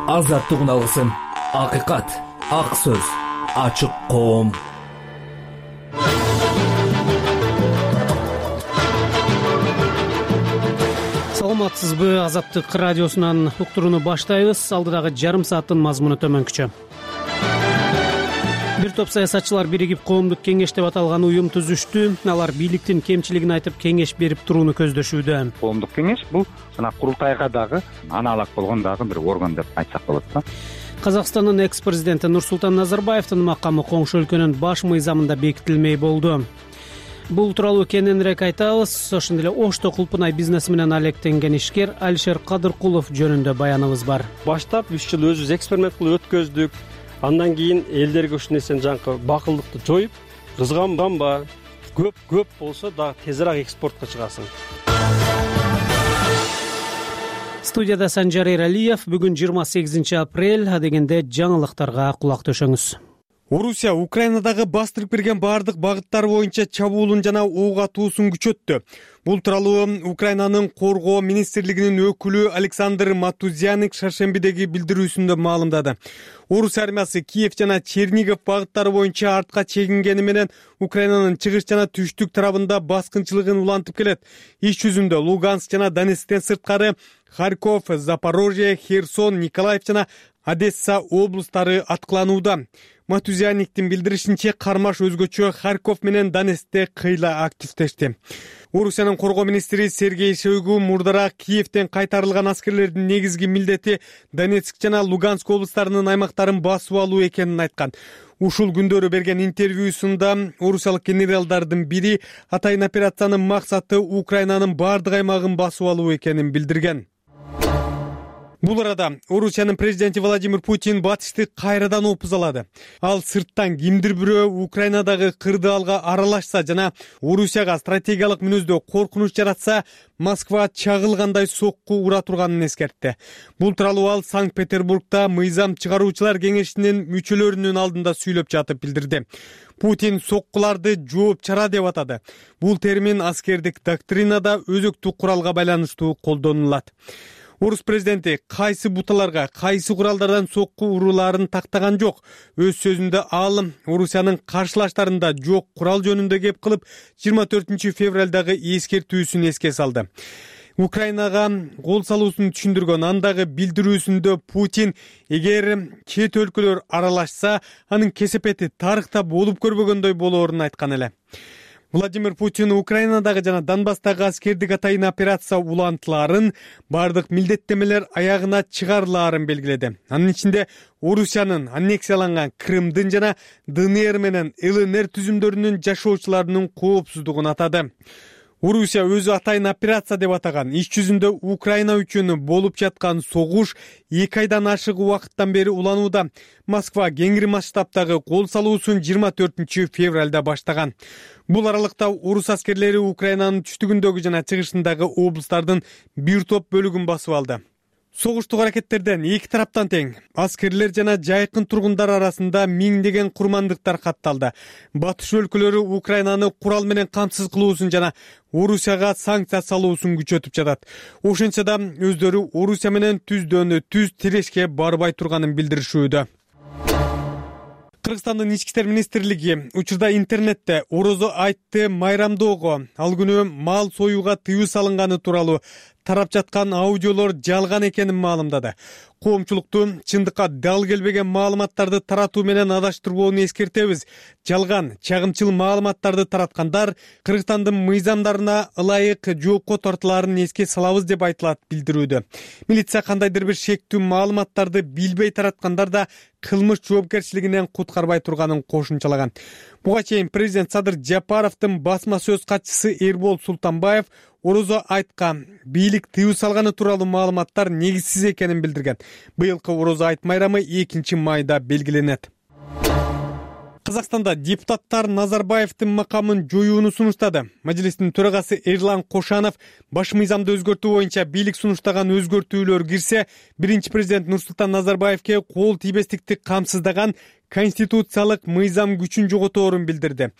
азаттык алгысым, акыйкат, ак сөз, ачык коом. Саламатсызбы? Азаттык радиосунан уктурууну баштайбыз. Алдыдагы жарым сааттын мазмуну төмөнкүчө. Бир топ саясатчылар биригип коомдук кеңеш деп аталган уюм түзүштү. Алар бийликтин кемчилигин айтып кеңеш берип турууну көздөшүүдө. Коомдук кеңеш бул жана курултайга дагы аналог болгон дагы бир орган деп айтсак болот да. Казакстандын экс-президенти Нурсултан Назарбаевдин макамы коңшу өлкөнүн баш мыйзамында бекитилмей болду. Бул тууралуу кененирээк айтабыз. Ошондой эле Ошто Кулпунай бизнеси менен алектенген ишкер Алишер Кадыркулов жөнүндө баяныбыз бар. Баштап 3 жыл өзүбүз эксперимент кылып өткөздүк. Андан кийин элдерге ушул нерсени жанакы бакылдыкты жоюп, кызганганба, көп болсо дагы тезирээк экспортко чыгасың. Студияда Санжар Эралиев. Бүгүн 28 апрель дегенде жаңылыктарга кулак төшөңүз. Орусия Украинадагы бастырып кирген бардык багыттар боюнча чабуулун жана ок атуусун күчөттү. Бул тууралуу Украинанын коргоо министрлигинин өкүлү Александр Матузяник шаршембидеги билдирүүсүндө маалымдады. Орус армиясы Киев жана Чернигов багыттары боюнча артка чегингени менен Украинанын чыгыш жана түштүк тарабында баскынчылыгын улантып келет. Иш жүзүндө Луганск жана Донецктен сырткары Харьков, Запорожье, Херсон, Николаев жана Одесса облустары аткыланууда. Матузяниктин билдиришинче кармаш өзгөчө Харьков менен Донецкте кыйла активдешти. Орусиянын коргоо министри Сергей Шойгу мурдараак Киевден кайтарылган аскерлердин негизги милдети Донецк жана Луганск облустарынын аймактарын басып алуу экенин айткан. Ушул күндөрү берген интервьюсунда орусиялык генералдардын бири атайын операциянын максаты Украинанын бардык аймагын басып алуу экенин билдирген. Бул арада Орусиянын президенти Владимир Путин батышты кайрадан опузалады. Ал сырттан кимдир бирөө Украинадагы кырдаалга аралашса жана Орусияга стратегиялык мүнөздө коркунуч жаратса, Москва чагылгандай сокку ура турганын эскертти. Бул тууралуу ал Санкт-Петербургда мыйзам чыгаруучулар кеңешинин мүчөлөрүнүн алдында сүйлөп жатып билдирди. Путин соккуларды жооп чара деп атады. Бул термин аскердик доктринада өзөктүк куралга байланыштуу колдонулат. Орус президенти кайсы буталарга, кайсы куралдардан сокку урууларын тактаган жок. Өз сөзүндө ал Орусиянын каршылаштарында жок курал жөнүндө кеп кылып 24 февралдагы эскертүүсүн эске салды. Украинага кол салуусун түшүндүргөн андагы билдирүүсүндө Путин эгер чет өлкөлөр аралашса, анын кесепети тарыхта болуп көрбөгөндөй болоорун айткан эле. Владимир Путин Украинадагы жана Донбасстагы аскердик атайын операция улантыларын, бардык милдеттемелер аягына чыгарылаарын белгиледи. Анын ичинде Орусиянын аннексияланган Крымдын жана ДНР менен ЛНР түзүмдөрүнүн жашоочуларынын коопсуздугун атады. Орусия өзү атайын операция деп атаган иш жүзүндө Украина үчүн болуп жаткан согуш 2 айдан ашык убакыттан бери уланууда. Москва кеңири масштабтагы кол салуусун 24 февралда баштаган. Бул аралыкта орус аскерлери Украинанын түштүгүндөгү жана чыгышындагы облустардын бир топ бөлүгүн басып алды. Согуштук аракеттерден эки тараптан тең аскерлер жана жайкын тургундар арасында миңдеген курмандыктар катталды. Батыш өлкөлөрү Украинаны курал менен камсыз кылуусун жана Орусияга санкция салуусун күчөтүп жатат. Ошентсе да өздөрү Орусия менен түздөн түз тирешке барбай турганын билдиришүүдө. Кыргызстандын ички иштер министрлиги учурда интернетте орозо айтты майрамдоого, ал күнү мал союуга тыюу салынганы тууралуу тарап жаткан аудиолор жалган экенин маалымдады. Коомчулукту чындыкка дал келбеген маалыматтарды таратуу менен адаштырбоону эскертебиз. Жалган, чагымчыл маалыматтарды тараткандар Кыргызстандын мыйзамдарына ылайык жоопко тартылаарын эске салабыз деп айтылат билдирүүдө. Милиция кандайдыр бир шектүү маалыматтарды билбей тараткандар да кылмыш жоопкерчилигинен куткарбай турганын кошумчалаган. Буга чейин президент Садыр Жапаровдун басма сөз катчысы Эрбол Султанбаев орозо айтка бийлик тыюу салганы тууралуу маалыматтар негизсиз экенин билдирген. Быйылкы орозо айт майрамы 2 майда белгиленет. Казакстанда депутаттар Назарбаевдин макамын жоюуну сунуштады. Мажилистин төрагасы Эрлан Кошанов баш мыйзамды өзгөртүү боюнча бийлик сунуштаган өзгөртүүлөр кирсе, биринчи президент Нурсултан Назарбаевке кол тийбестикти камсыздаган конституциялык мыйзам күчүн жоготорун билдирди.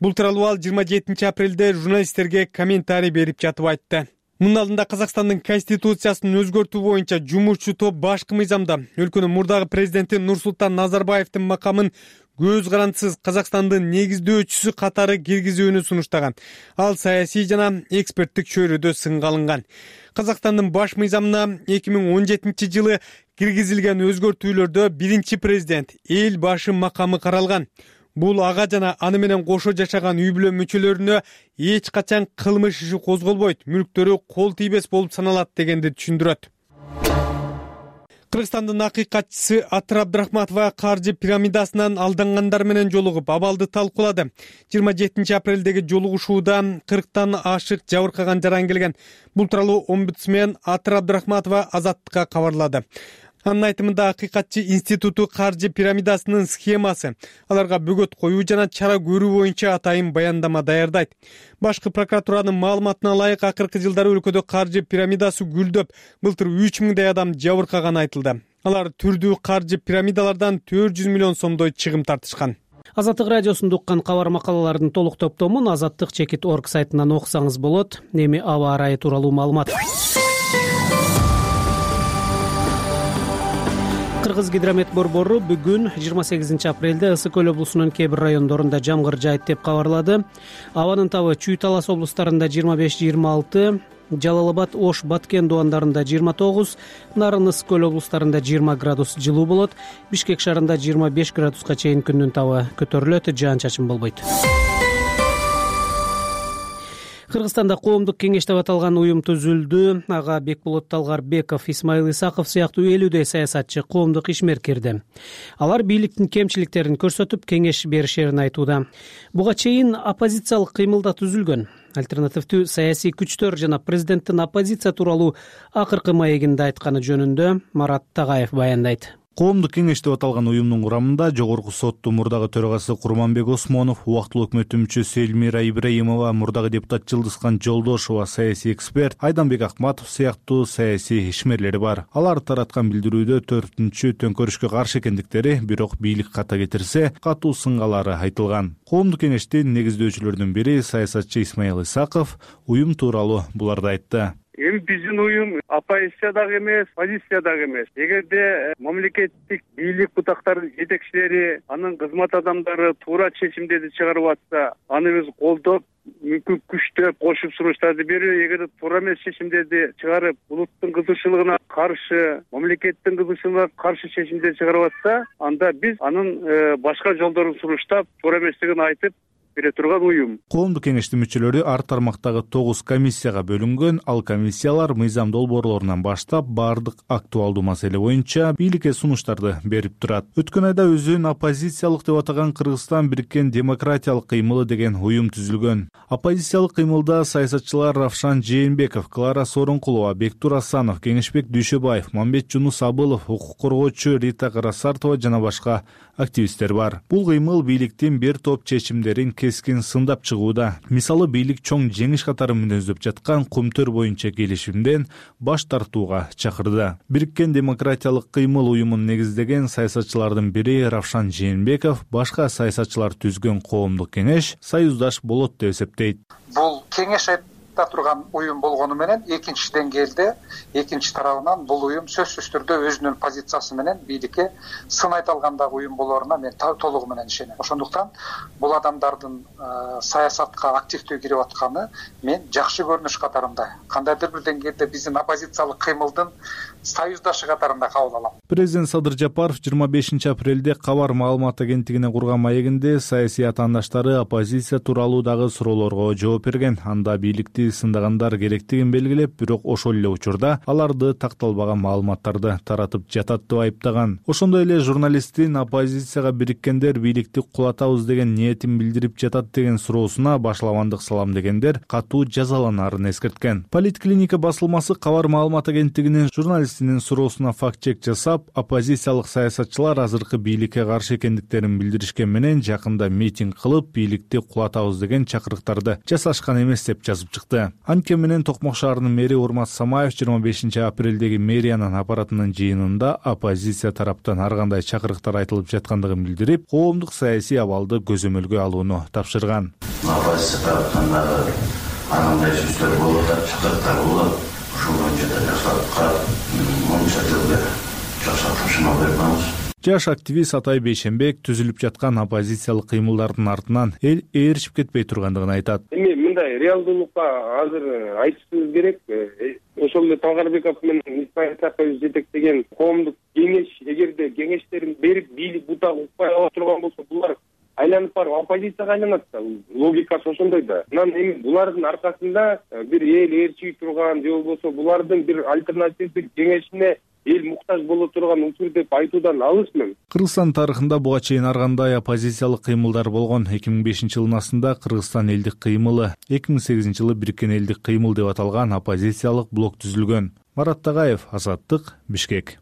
Бул тууралуу ал 27 апрелде журналисттерге комментарий берип жатып айтты. Мунун алдында Казакстандын конституциясын өзгөртүү боюнча жумушчу топ башкы мыйзамда өлкөнүн мурдагы президенти Нурсултан Назарбаевдин макамын көз карандысыз Казакстандын негиздөөчүсү катары киргизүүнү сунуштаган. Ал саясий жана эксперттик чөйрөдө сынга алынган. Казакстандын баш мыйзамына 2017 жылы киргизилген өзгөртүүлөрдө биринчи президент, эл башы макамы каралган. Бул ага жана аны менен кошо жашаган үй бүлө мүчөлөрүнө эч качан кылмыш иши козголбойт, мүлктөрү кол тийбес болуп саналат дегенди түшүндүрөт. Кыргызстандын акыйкатчысы Атыр Абдрахматова каржы пирамидасынан алдангандар менен жолугуп, абалды талкуулады. 27 апрелдеги жолугушууда 40тан ашык жабыркаган жаран келген. Бул тууралуу омбудсмен Атыр Абдрахматова Азаттыкка кабарлады. Анын айтымында акыйкатчы институту каржы пирамидасынын схемасы, аларга бөгөт коюу жана чара көрүү боюнча атайын баяндама даярдайт. Башкы прокуратуранын маалыматына ылайык, акыркы жылдары өлкөдө каржы пирамидасы гүлдөп, былтыр 3000 адам жабыркаганы айтылды. Алар түрдүү каржы пирамидалардан 400 миллион сомдой чыгым тартышкан. Азаттык радиосунда уккан кабар макалалардын толук топтомун azattik.org сайтынан окусаңыз болот. Эми аба ырайы тууралуу маалымат. Кыргыз гидромет борбору бүгүн 28 апрелде Ысык көл облусунун кээ бир райондорунда жамгыр жаайт деп кабарлады. Абанын табы Чүй Талас облустарында 25-26, Жалал Абад, Ош, Баткен дубандарында 29, Нарын, Ысык көл облустарында 20 градус жылуу болот. Бишкек шаарында 25 градуска чейин күндүн табы көтөрүлөт, жаан-чачын болбойт. Кыргызстанда коомдук кеңеш деп аталган уюм түзүлдү. Ага Бекболот Талгарбеков, Исмаил Исаков сыяктуу 50дөй саясатчы, коомдук ишмер кирди. Алар бийликтин кемчиликтерин көрсөтүп, кеңеш беришерин айтууда. Буга чейин оппозициялык кыймылда түзүлгөн. Альтернативдүү саясий күчтөр жана президенттин оппозиция тууралуу акыркы маегинде айтканы жөнүндө Марат Тагаев баяндайт. Коомдук кеңеш деп аталган уюмдун курамында Жогорку соттун мурдагы төрагасы Курманбек Осмонов, убактылуу өкмөттүн мүчөсү Элмира Ибраимова, мурдагы депутат Жылдызкан Жолдошова, саясий эксперт Айданбек Акматов сыяктуу саясий ишмерлери бар. Алар тараткан билдирүүдө 4-түнчү төңкөрүшкө каршы экендиктери, бирок бийлик ката кетирсе, катуу сынгалары айтылган. Коомдук кеңештин негиздөөчүлөрүнүн бири саясатчы Исмаил Исаков уюм тууралуу буларды айтты. Эми биздин уюм оппозиция дагы эмес, позиция дагы эмес. Эгерде мамлекеттик бийлик бутактарынын жетекчилери, анын кызмат адамдары туура чечимдерди чыгарып атса, аны биз колдоп, мүмкүн күчтөп, кошуп сунуштарды берүү. Эгер туура эмес чечимдерди чыгарып, улуттун кызыкчылыгына каршы, мамлекеттин кызыкчылыгына каршы чечимдерди чыгарып атса, анда биз анын башка жолдорун сунуштап, туура эместигин айтып бере турган уюм. Коомдук кеңештин мүчөлөрү ар тармактагы 9 комиссияга бөлүнгөн. Ал комиссиялар мыйзам долбоорлорунан баштап баардык актуалдуу маселе боюнча бийликке сунуштарды берип турат. Өткөн айда өзүн оппозициялык деп атаган Кыргызстан бириккен демократиялык кыймылы деген уюм түзүлгөн. Оппозициялык кыймылда саясатчылар Равшан Жээнбеков, Клара Сооронкулова, Бектур Асанов, Кеңешбек Дүйшөбаев, Мамбет Жунус Абылов, укук коргоочу Рита Карасартова жана башка активисттер бар. Бул кыймыл бийликтин бир топ чечимдерин кескин сындап чыгууда. Мисалы, бийлик чоң жеңиш катары мүнөздөп жаткан Кумтөр боюнча келишимден баш тартууга чакырды. Бириккен демократиялык кыймыл уюмун негиздеген саясатчылардын бири Равшан Жээнбеков башка саясатчылар түзгөн коомдук кеңеш союздаш болот деп эсептейт. Бул кеңеш турган уюм болгону менен экинчи деңгээлде, экинчи тарабынан бул уюм сөзсүз түрдө өзүнүн позициясы менен бийликке сын айта алгандагы уюм болоруна мен толугу менен ишенем. Ошондуктан бул адамдардын саясатка активдүү кирип атканы мен жакшы көрүнүш катарында, кандайдыр бир деңгээлде биздин оппозициялык кыймылдын союздашы катарында кабыл алам. Президент Садыр Жапаров 25 апрелде Кабар маалымат агенттигине курган маегинде саясий атаандаштары оппозиция тууралуу дагы суроолорго жооп берген. Анда бийликти сындагандар керектигин белгилеп, бирок ошол эле учурда аларды такталбаган маалыматтарды таратып жатат деп айыптаган. Ошондой эле журналисттин оппозицияга бириккендер бийликти кулатабыз деген ниетин билдирип жатат деген суроосуна башлабандык салам дегендер катуу жазаланарын эскерткен. Политклиника басылмасы Кабар маалымат агенттигинин журналистинин суроосуна факт-чек жасап, оппозициялык саясатчылар азыркы бийликке каршы экендиктерин билдиришкен менен жакында митинг кылып, бийликти кулатабыз деген чакырыктарды жасашкан эмес деп жазып чыкты. Анткени менен Токмок шаарынын мэри Урмат Самаев 25 апрелдеги мэриянын аппаратынын жыйынында оппозиция тараптан ар кандай чакырыктар айтылып жаткандыгын билдирип, коомдук саясий абалды көзөмөлгө алууну тапшырган. Оппозиция тараптан дагы анандай сөздөр болуп атат, чакырыктар болуп, ошол боюнча да жакшылыкка монча жылда жакшыртышына беребиз. Жаш активист Атай Бейшенбек түзүлүп жаткан оппозициялык кыймылдардын артынан эл ээрчип кетпей тургандыгын айтат. Эми мындай реалдуулукка азыр айтышыбыз керек. Ошол эле Талгарбеков менен Исмаил Сакаевич жетектеген коомдук кеңеш эгерде кеңештерин берип бийлик бутак укпай ала турган болсо, булар айланып барып оппозицияга айланат да. Логикасы ошондой да. Анан эми булардын аркасында бир эл ээрчий турган же болбосо булардын бир альтернативдик кеңешине эл муктаж боло турган учур деп айтуудан алысмын. Кыргызстан тарыхында буга чейин ар кандай оппозициялык кыймылдар болгон. 2005-жылдын астында Кыргызстан элдик кыймылы, 2008-жылы Бириккен элдик кыймыл деп аталган оппозициялык блок түзүлгөн. Марат Тагаев, Азаттык, Бишкек.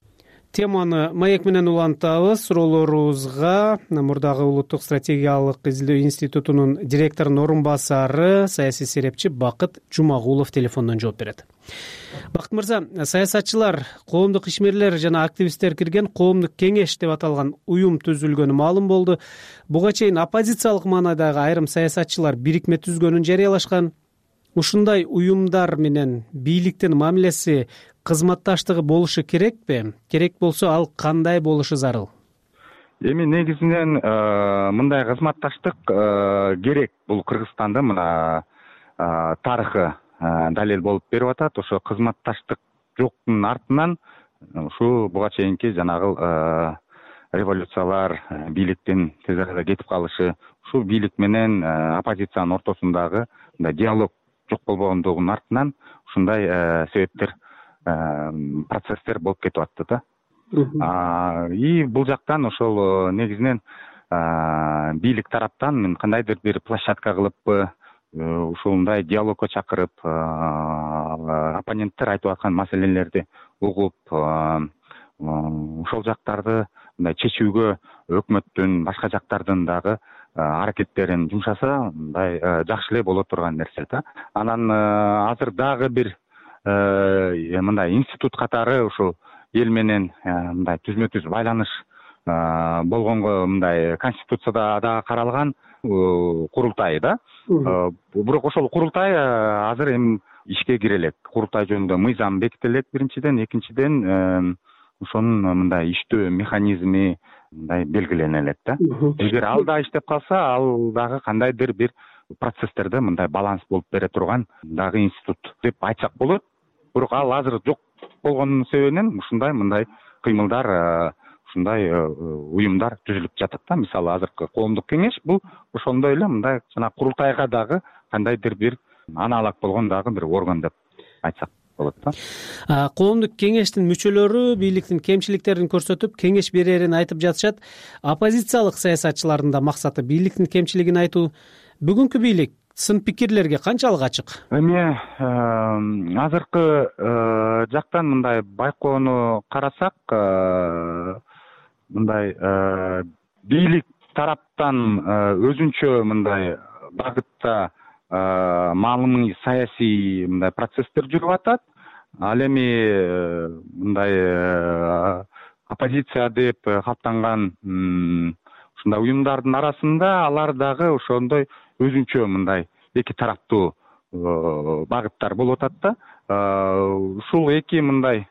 Теманы маек менен улантабыз. Суроолорубузга мурдагы Улуттук стратегиялык изилдөө институтунун директорунун орун басары, саясий серепчи Бакыт Жумагулов телефондон жооп берет. Бакыт мырза, саясатчылар, коомдук ишмерлер жана активисттер кирген коомдук кеңеш деп аталган уюм түзүлгөнү маалым болду. Буга чейин оппозициялык маанайдагы айрым саясатчылар бирикме түзгөнүн жарыялашкан. Ушундай уюмдар менен бийликтин мамилеси, кызматташтыгы болушу керекпи? Керек болсо, ал кандай болушу зарыл? Эми негизинен мындай кызматташтык керек. Бул Кыргызстанда мына тарыхы далил болуп берип атат. Ошо кызматташтык жоктун артынан ушу буга чейинки жанагы революциялар, бийликтин тез арада кетип калышы, ушу бийлик менен оппозициянын ортосундагы диалог жок болбогондугунун артынан ушундай себептер, процесстер болуп кетип атты да. И бул жактан ошол негизинен бийлик тараптан мен кандайдыр бир площадка кылып, ушундай диалогко чакырып, оппоненттер айтып аткан маселелерди угуп, ошол жактарды мындай чечүүгө өкмөттүн, башка жактардын дагы аракеттерин жумшаса, мындай жакшы эле боло турган нерсе да. Анан азыр дагы бир мындай институт катары ушул эл менен мындай түзмө-түз байланыш болгонго мындай конституцияда дагы каралган курултай да. Бирок ошол курултай азыр эми ишке кире элек. Курултай жөнүндө мыйзам беките элек биринчиден, экинчиден ошонун мындай иштөө механизми мындай белгилене элек да. Эгер ал да иштеп калса, ал дагы кандайдыр бир процесстерде мындай баланс болуп бере турган дагы институт деп айтсак болот. Бирок ал азыр жок болгонун себебинен ушундай мындай кыймылдар, ушундай уюмдар түзүлүп жатат да. Мисалы азыркы коомдук кеңеш бул ошондой эле мындай жана курултайга дагы кандайдыр бир аналог болгон дагы бир орган деп айтсак болот да. Коомдук кеңештин мүчөлөрү бийликтин кемчиликтерин көрсөтүп, кеңеш берерин айтып жатышат. Оппозициялык саясатчылардын да максаты бийликтин кемчилигин айтуу. Бүгүнкү бийлик сын пикирлерге канчалык ачык? Эми азыркы жактан мындай байкоону карасак, мындай бийлик тараптан өзүнчө мындай багытта маалымый саясий мындай процесстер жүрүп атат. Ал эми мындай оппозиция деп калыптанган ушундай уюмдардын арасында алар дагы ошондой өзүнчө мындай эки тараптуу багыттар болуп атат да. Ушул эки мындай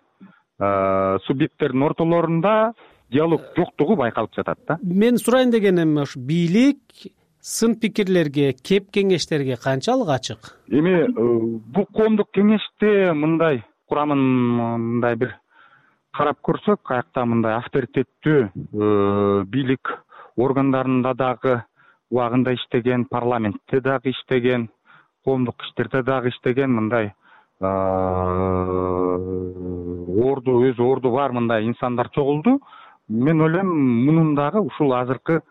субъекттердин ортолорунда диалог жоктугу байкалып жатат да. Мен сурайын дегеним ошо бийлик сын пикирлерге, кеп кеңештерге канчалык ачык? Эми бул коомдук кеңеште мындай курамын мындай бир карап көрсөк, аякта мындай авторитеттүү бийлик органдарында дагы убагында иштеген, парламентте дагы иштеген, коомдук иштерде дагы иштеген мындай өз орду бар мындай инсандар чогулду. Мен ойлойм, мунун дагы ушул азыркы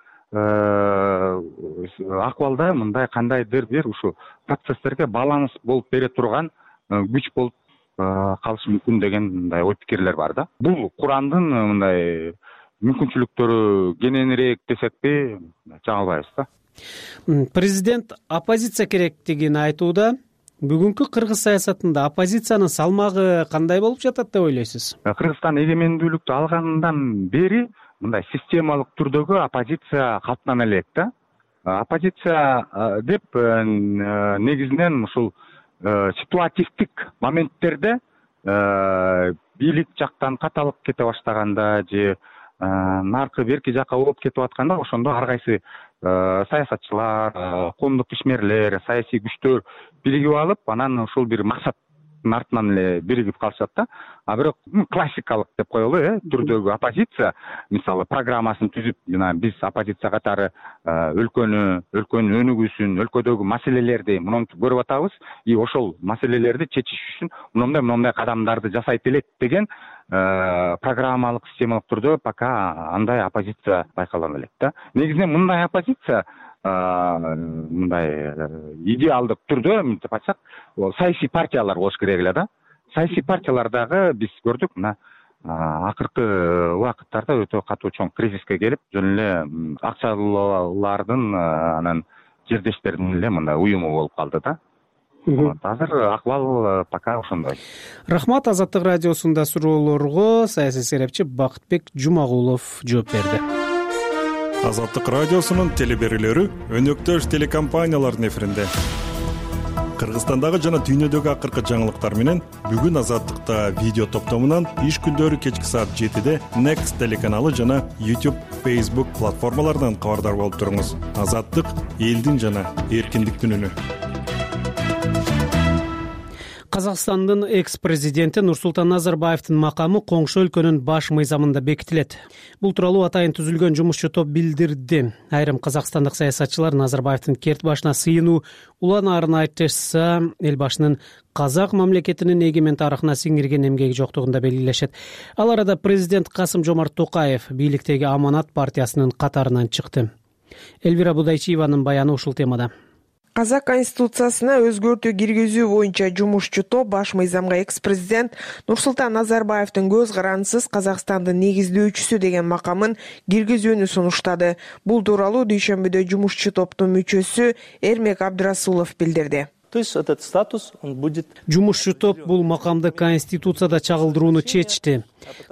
акыбалда мындай кандайдыр бир ушу процесстерге баланс болуп бере турган күч болуп калышы мүмкүн деген мындай ой пикирлер бар да. Бул курамдын мындай мүмкүнчүлүктөрү кененирээк десекпи жаңылбайбыз да. Президент оппозиция керектигин айтууда. Бүгүнкү кыргыз саясатында оппозициянын салмагы кандай болуп жатат деп ойлойсуз? Кыргызстан эгемендүүлүктү алгандан бери мындай системалык түрдөгү оппозиция калыптана элек да. Оппозиция деп негизинен ушул ситуативдик моменттерде бийлик жактан каталып кете баштаганда же наркы берки жакка болуп кетип атканда ошондо ар кайсы саясатчылар, коомдук ишмерлер, саясий күчтөр биригип алып, анан ушул бир максаттын артынан эле биригип калышат да. А бирок классикалык деп коелу түрдөгү оппозиция, мисалы программасын түзүп, жана биз оппозиция катары өлкөнүн өнүгүүсүн, өлкөдөгү маселелерди монтип көрүп атабыз, и ошол маселелерди чечиш үчүн мындай кадамдарды жасайт элек деген программалык, системалык түрдө пока андай оппозиция байкала элек да. Негизинен мындай оппозиция мындай идеалдык түрдө мынтип айтсак, саясий партиялар болуш керек эле да. Саясий партиялар дагы биз көрдүк, мына акыркы убакыттарда өтө катуу чоң кризиске келип, жөн эле акчалуулардын анан жердештердин эле мындай уюму болуп калды да. Азыр акыбал пока ошондой. Рахмат. Азаттык радиосунда суроолорго саясий серепчи Бакытбек Жумагулов жооп берди. Азаттык радиосунун телеберүүлөрү өнөктөш телекомпаниялардын эфиринде. Кыргызстандагы жана дүйнөдөгү акыркы жаңылыктар менен бүгүн Азаттыкта видео топтомунан иш күндөрү кечки саат 7-де Next телеканалы жана YouTube, Facebook платформаларынан кабардар болуп туруңуз. Азаттык — элдин жана эркиндиктин үнү. Казакстандын экс-президенти Нурсултан Назарбаевдин макамы коңшу өлкөнүн баш мыйзамында бекитилет. Бул тууралуу атайын түзүлгөн жумушчу топ билдирди. Айрым казакстандык саясатчылар Назарбаевдин керт башына сыйынуу уланаарын айтышса, эл башынын казак мамлекетинин эгемен тарыхына сиңирген эмгеги жоктугунда белгилешет. Ал арада президент Касым-Жомарт Токаев бийликтеги Аманат партиясынын катарынан чыкты. Элвира Будайчиеванын баяны ушул темада. Казак конституциясына өзгөртүү киргизүү боюнча жумушчу топ баш мыйзамга экс-президент Нурсултан Назарбаевдин көз карандысыз Казакстандын негиздөөчүсү деген макамын киргизүүнү сунуштады. Бул тууралуу дүйшөмбүдө жумушчу топтун мүчөсү Эрмек Абдрасулов билдирди. То есть этот статус он будет. Жумушчу топ бул макамды конституцияда чагылдырууну чечти.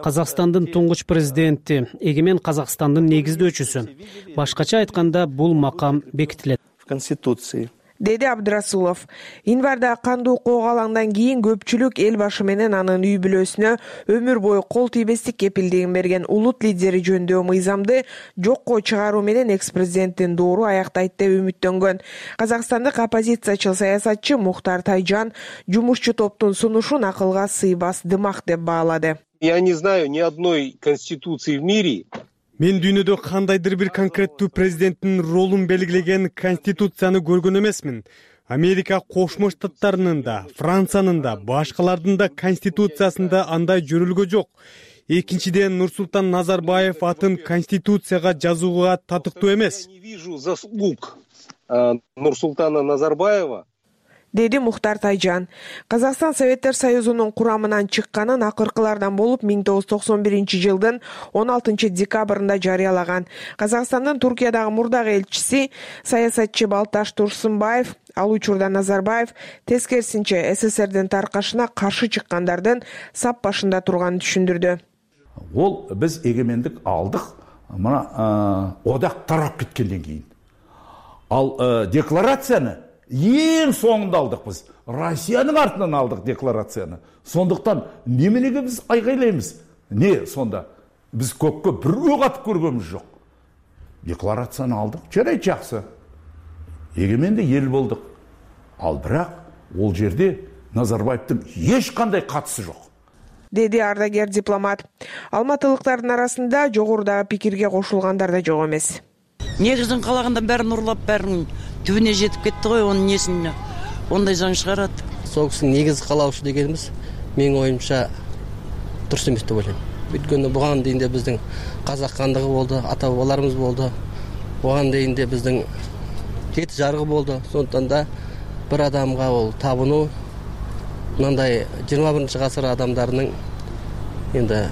Казакстандын туңгуч президенти, эгемен Казакстандын негиздөөчүсү. Башкача айтканда бул макам бекитилет. Конституции. Деди Абдрасулов. Январда кандуу коогалаңдан кийин көпчүлүк эл башы менен анын үй бүлөсүнө өмүр бою кол тийбестик кепилдигин берген улут лидери жөнүндө мыйзамды жокко чыгаруу менен экс-президенттин доору аяктайт деп үмүттөнгөн. Казакстандык оппозициячыл саясатчы Мухтар Тайжан жумушчу топтун сунушун акылга сыйбас дымак деп баалады. Я не знаю ни одной конституции в мире. Мен дүйнөдө кандайдыр бир конкреттүү президенттин ролун белгилеген конституцияны көргөн эмесмин. Америка Кошмо Штаттарынын да, Франциянын да, башкалардын да конституциясында андай жөрөлгө жок. Экинчиден, Нурсултан Назарбаев атын конституцияга жазууга татыктуу эмес. Я не вижу заслуг Нурсултана Назарбаева. Деди Мухтар Тайжан. Казакстан Советтер Союзунун курамынан чыкканын акыркылардан болуп 1991-жылдын 16 декабрында жарыялаган. Казакстандын Туркиядагы мурдагы элчиси саясатчы Балташ Турсунбаев ал учурда Назарбаев тескерисинче СССРдин таркашына каршы чыккандардын сап башында турганын түшүндүрдү. Ол биз эгемендик алдык, мына одак тарап кеткенден кийин. Ал декларацияны ең соңында алдық біз. Россияның артынан алдық декларацияны. Сондықтан неменеге біз айғайлаймыз? Не сонда? Біз көкке бір өқ атып көргеніміз жоқ. Декларацияны алдық. Жарайды, жақсы. Егеменді ел болдық. Ал бірақ ол жерде Назарбаевтың ешқандай қатысы жоқ. Деди ардагер дипломат. Алматылыктардын арасында жогорудагы пикирге кошулгандар да жок эмес. Негизин калаганда бәрін урлап, бәрін түбіне жетіп кетті ғой, оның несін ондай заң шығарады. Сол кісінің негізі қалаушы дегеніміз менің ойымша дұрыс емес деп ойлаймын. Өйткені бұған дейін де біздің қазақ хандығы болды, ата бабаларымыз болды. Бұған дейін де біздің жеті жарғы болды. Сондықтан да бір адамға ол табыну мынандай 21 ғасыр адамдарының енді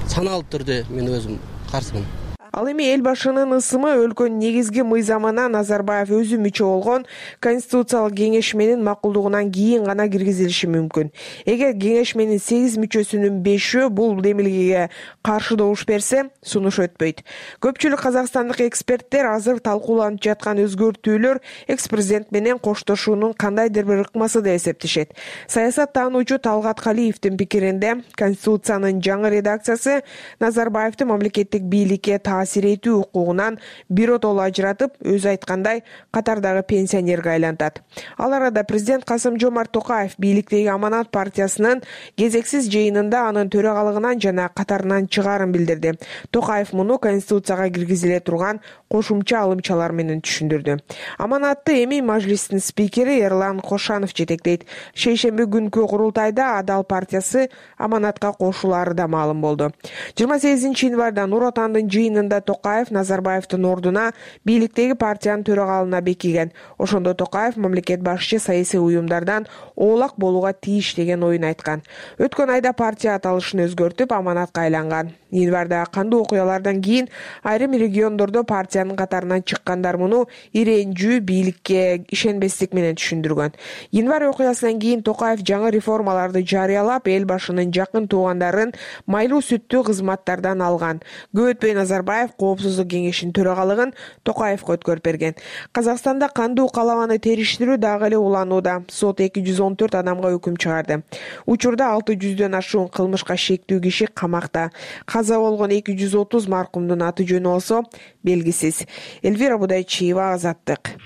саналы түрде мен өзім қарсымын. Ал эми эл башынын ысымы өлкөнүн негизги мыйзамына Назарбаев өзү мүчө болгон Конституциялык кеңешменин макулдугунан кийин гана киргизилиши мүмкүн. Эгер кеңешменин 8 мүчөсүнүн 5-өө бул демилгеге каршы добуш берсе, сунуш өтпөйт. Көпчүлүк казакстандык эксперттер азыр талкууланып жаткан өзгөртүүлөр экс-президент менен коштошуунун кандайдыр бир ыкмасы деп эсептешет. Саясат таануучу Талгат Калиевдин пикиринде, Конституциянын жаңы редакциясы Назарбаевди мамлекеттик бийликке таасир этүү укугунан биротоло ажыратып, өзү айткандай катардагы пенсионерге айлантат. Ал арада президент Касым-Жомарт Токаев бийликтеги Аманат партиясынын кезексиз жыйынында анын төрагалыгынан жана катарынан чыгаарын билдирди. Токаев муну Конституцияга киргизиле турган кошумча алымчалар менен түшүндүрдү. Аманатты эми мажлистин спикери Эрлан Кошанов жетектейт. Шейшемби күнкү курултайда Адал партиясы Аманатка кошулары да маалым болду. 28 январда Нур Отандын жыйынында Токаев Назарбаевдин ордуна бийликтеги партиянын төрагалына бекиген. Ошондо Токаев мамлекет башчы саясий уюмдардан оолак болууга тийиш деген оюн айткан. Өткөн айда партия аталышын өзгөртүп Аманатка айланган. Январда кандуу окуялардан кийин айрым региондордо партиянын катарынан чыккандар муну иренжүү бийликке ишенбестик менен түшүндүргөн. Январь окуясынан кийин Токаев жаңы реформаларды жарыялап, эл башынын жакын туугандарын майлуу сүттүү кызматтардан алган. Көп өтпөй Назарбаев Коопсуздук кеңешинин төрагалыгын Токаевга өткөрүп берген. Казакстанда кандуу каламаны териштирүү дагы эле уланууда. Сот 214 адамга өкүм чыгарды. Учурда 600дөн ашуун кылмышка шектүү киши камакта. Каза болгон 230 маркумдун аты жөнү болсо белгисиз. Элвира Будайчиева, Азаттык.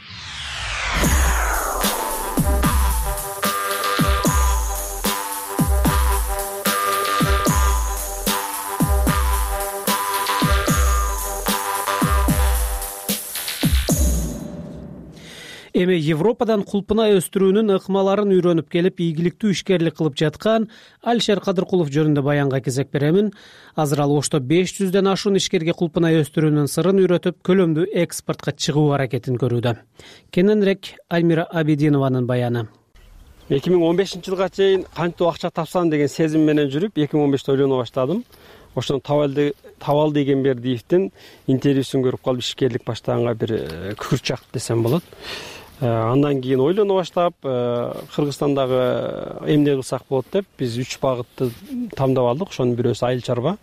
Эми Европадан кулпунай өстүрүүнүн ыкмаларын үйрөнүп келип, ийгиликтүү ишкерлик кылып жаткан Алишер Кадыркулов жөнүндө баянга кезек беремин. Азыр ал Ошто 500дөн ашуун ишкерге кулпунай өстүрүүнүн сырын үйрөтүп, көлөмдүү экспортко чыгуу аракетин көрүүдө. Кененирээк Альмира Абидинованын баяны. 2015-жылга чейин кантип акча тапсам деген сезим менен жүрүп, 2015-те ойлоно баштадым. Ошондон Табал Дегенбердиевдин интервьюсун көрүп калып ишкерлик баштаганга бир күкүрт чакты десем болот. Андан кийин ойлоно баштап, Кыргызстандагы эмне кылсак болот деп биз 3 багытты тандап алдык. Ошонун бирөөсү айыл чарба.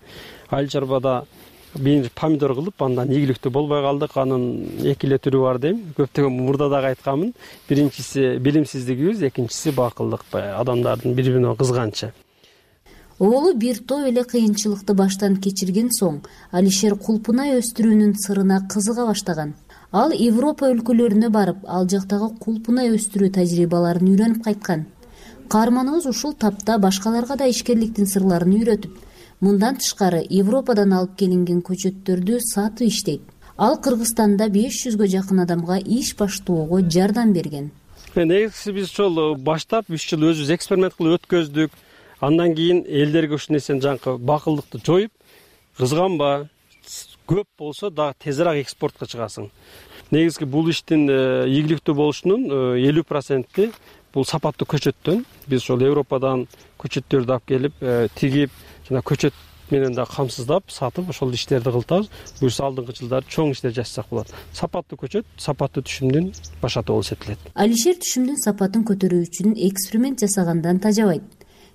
Айыл чарбада бир помидор кылып, андан ийгиликтүү болбой калдык. Анын эки эле түрү бар дейм. Көптөгөн мурда дагы айтканмын. Биринчиси билимсиздигибиз, экинчиси бакылдык, адамдардын бири-бирине кызганычы. Оолу бир топ эле кыйынчылыкты баштан кечирген соң, Алишер кулпунай өстүрүүнүн сырына кызыга баштаган. Ал Европа өлкөлөрүнө барып, ал жактагы кулпунай өстүрүү тажрыйбаларын үйрөнүп кайткан. Каарманыбыз ушул тапта башкаларга да ишкерликтин сырларын үйрөтүп, мындан тышкары Европадан алып келинген көчөттөрдү сатып иштейт. Ал Кыргызстанда 500гө жакын адамга иш баштоого жардам берген. Негизгиси биз ошол баштап 3 жыл өзүбүз эксперимент кылып өткөздүк. Андан кийин элдерге ушул нерсени жанкы бакылдыкты жоюп, кызганба, көп болсо дагы тезирээк экспортко чыгасың. Негизги бул иштин ийгиликтүү болушунун 50%-и бул сапаттуу көчөттөн. Биз ошол Европадан көчөттөрдү алып келип, тигип, жана көчөт менен да камсыздап, сатып, ошол иштерди кылтабыз. Буюрса алдыңкы жылдары чоң иштер жасасак болот. Сапаттуу көчөт, сапаттуу түшүмдүн башаты болуп эсептелет. Алишер түшүмдүн сапатын көтөрүү үчүн эксперимент жасагандан тажабайт.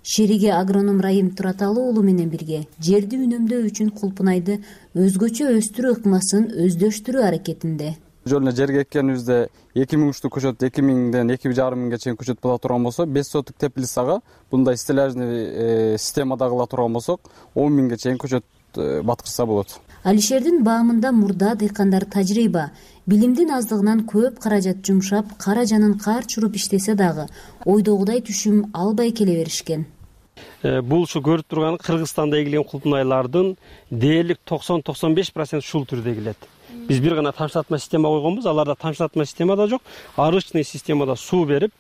Шериги агроном Райым Тураталы уулу менен бирге жерди үнөмдөө үчүн кулпунайды өзгөчө өстүрүү ыкмасын өздөштүрүү аракетинде. Жөн эле жерге эккенибизде 2000 уштуу көчөт 2000ден 2500 чейин көчөт боло турган болсо, 5 соток теплицага мындай стеллажный системада кыла турган болсок, 10 000ге чейин көчөт баткырса болот. Алишердин баамында мурда дыйкандар тажрыйба, билимдин аздыгынан көп каражат жумшап, кара жанын кар чуруп иштесе дагы ойдогудай түшүм албай келе беришкен. Бул ушу көрүп турган Кыргызстанда эгилген кулпунайлардын дээрлик 90-95% ушул түрдө эгилет. Биз бир гана тамчылатма система койгонбуз, аларда тамчылатма система да жок, арычный системада суу берип,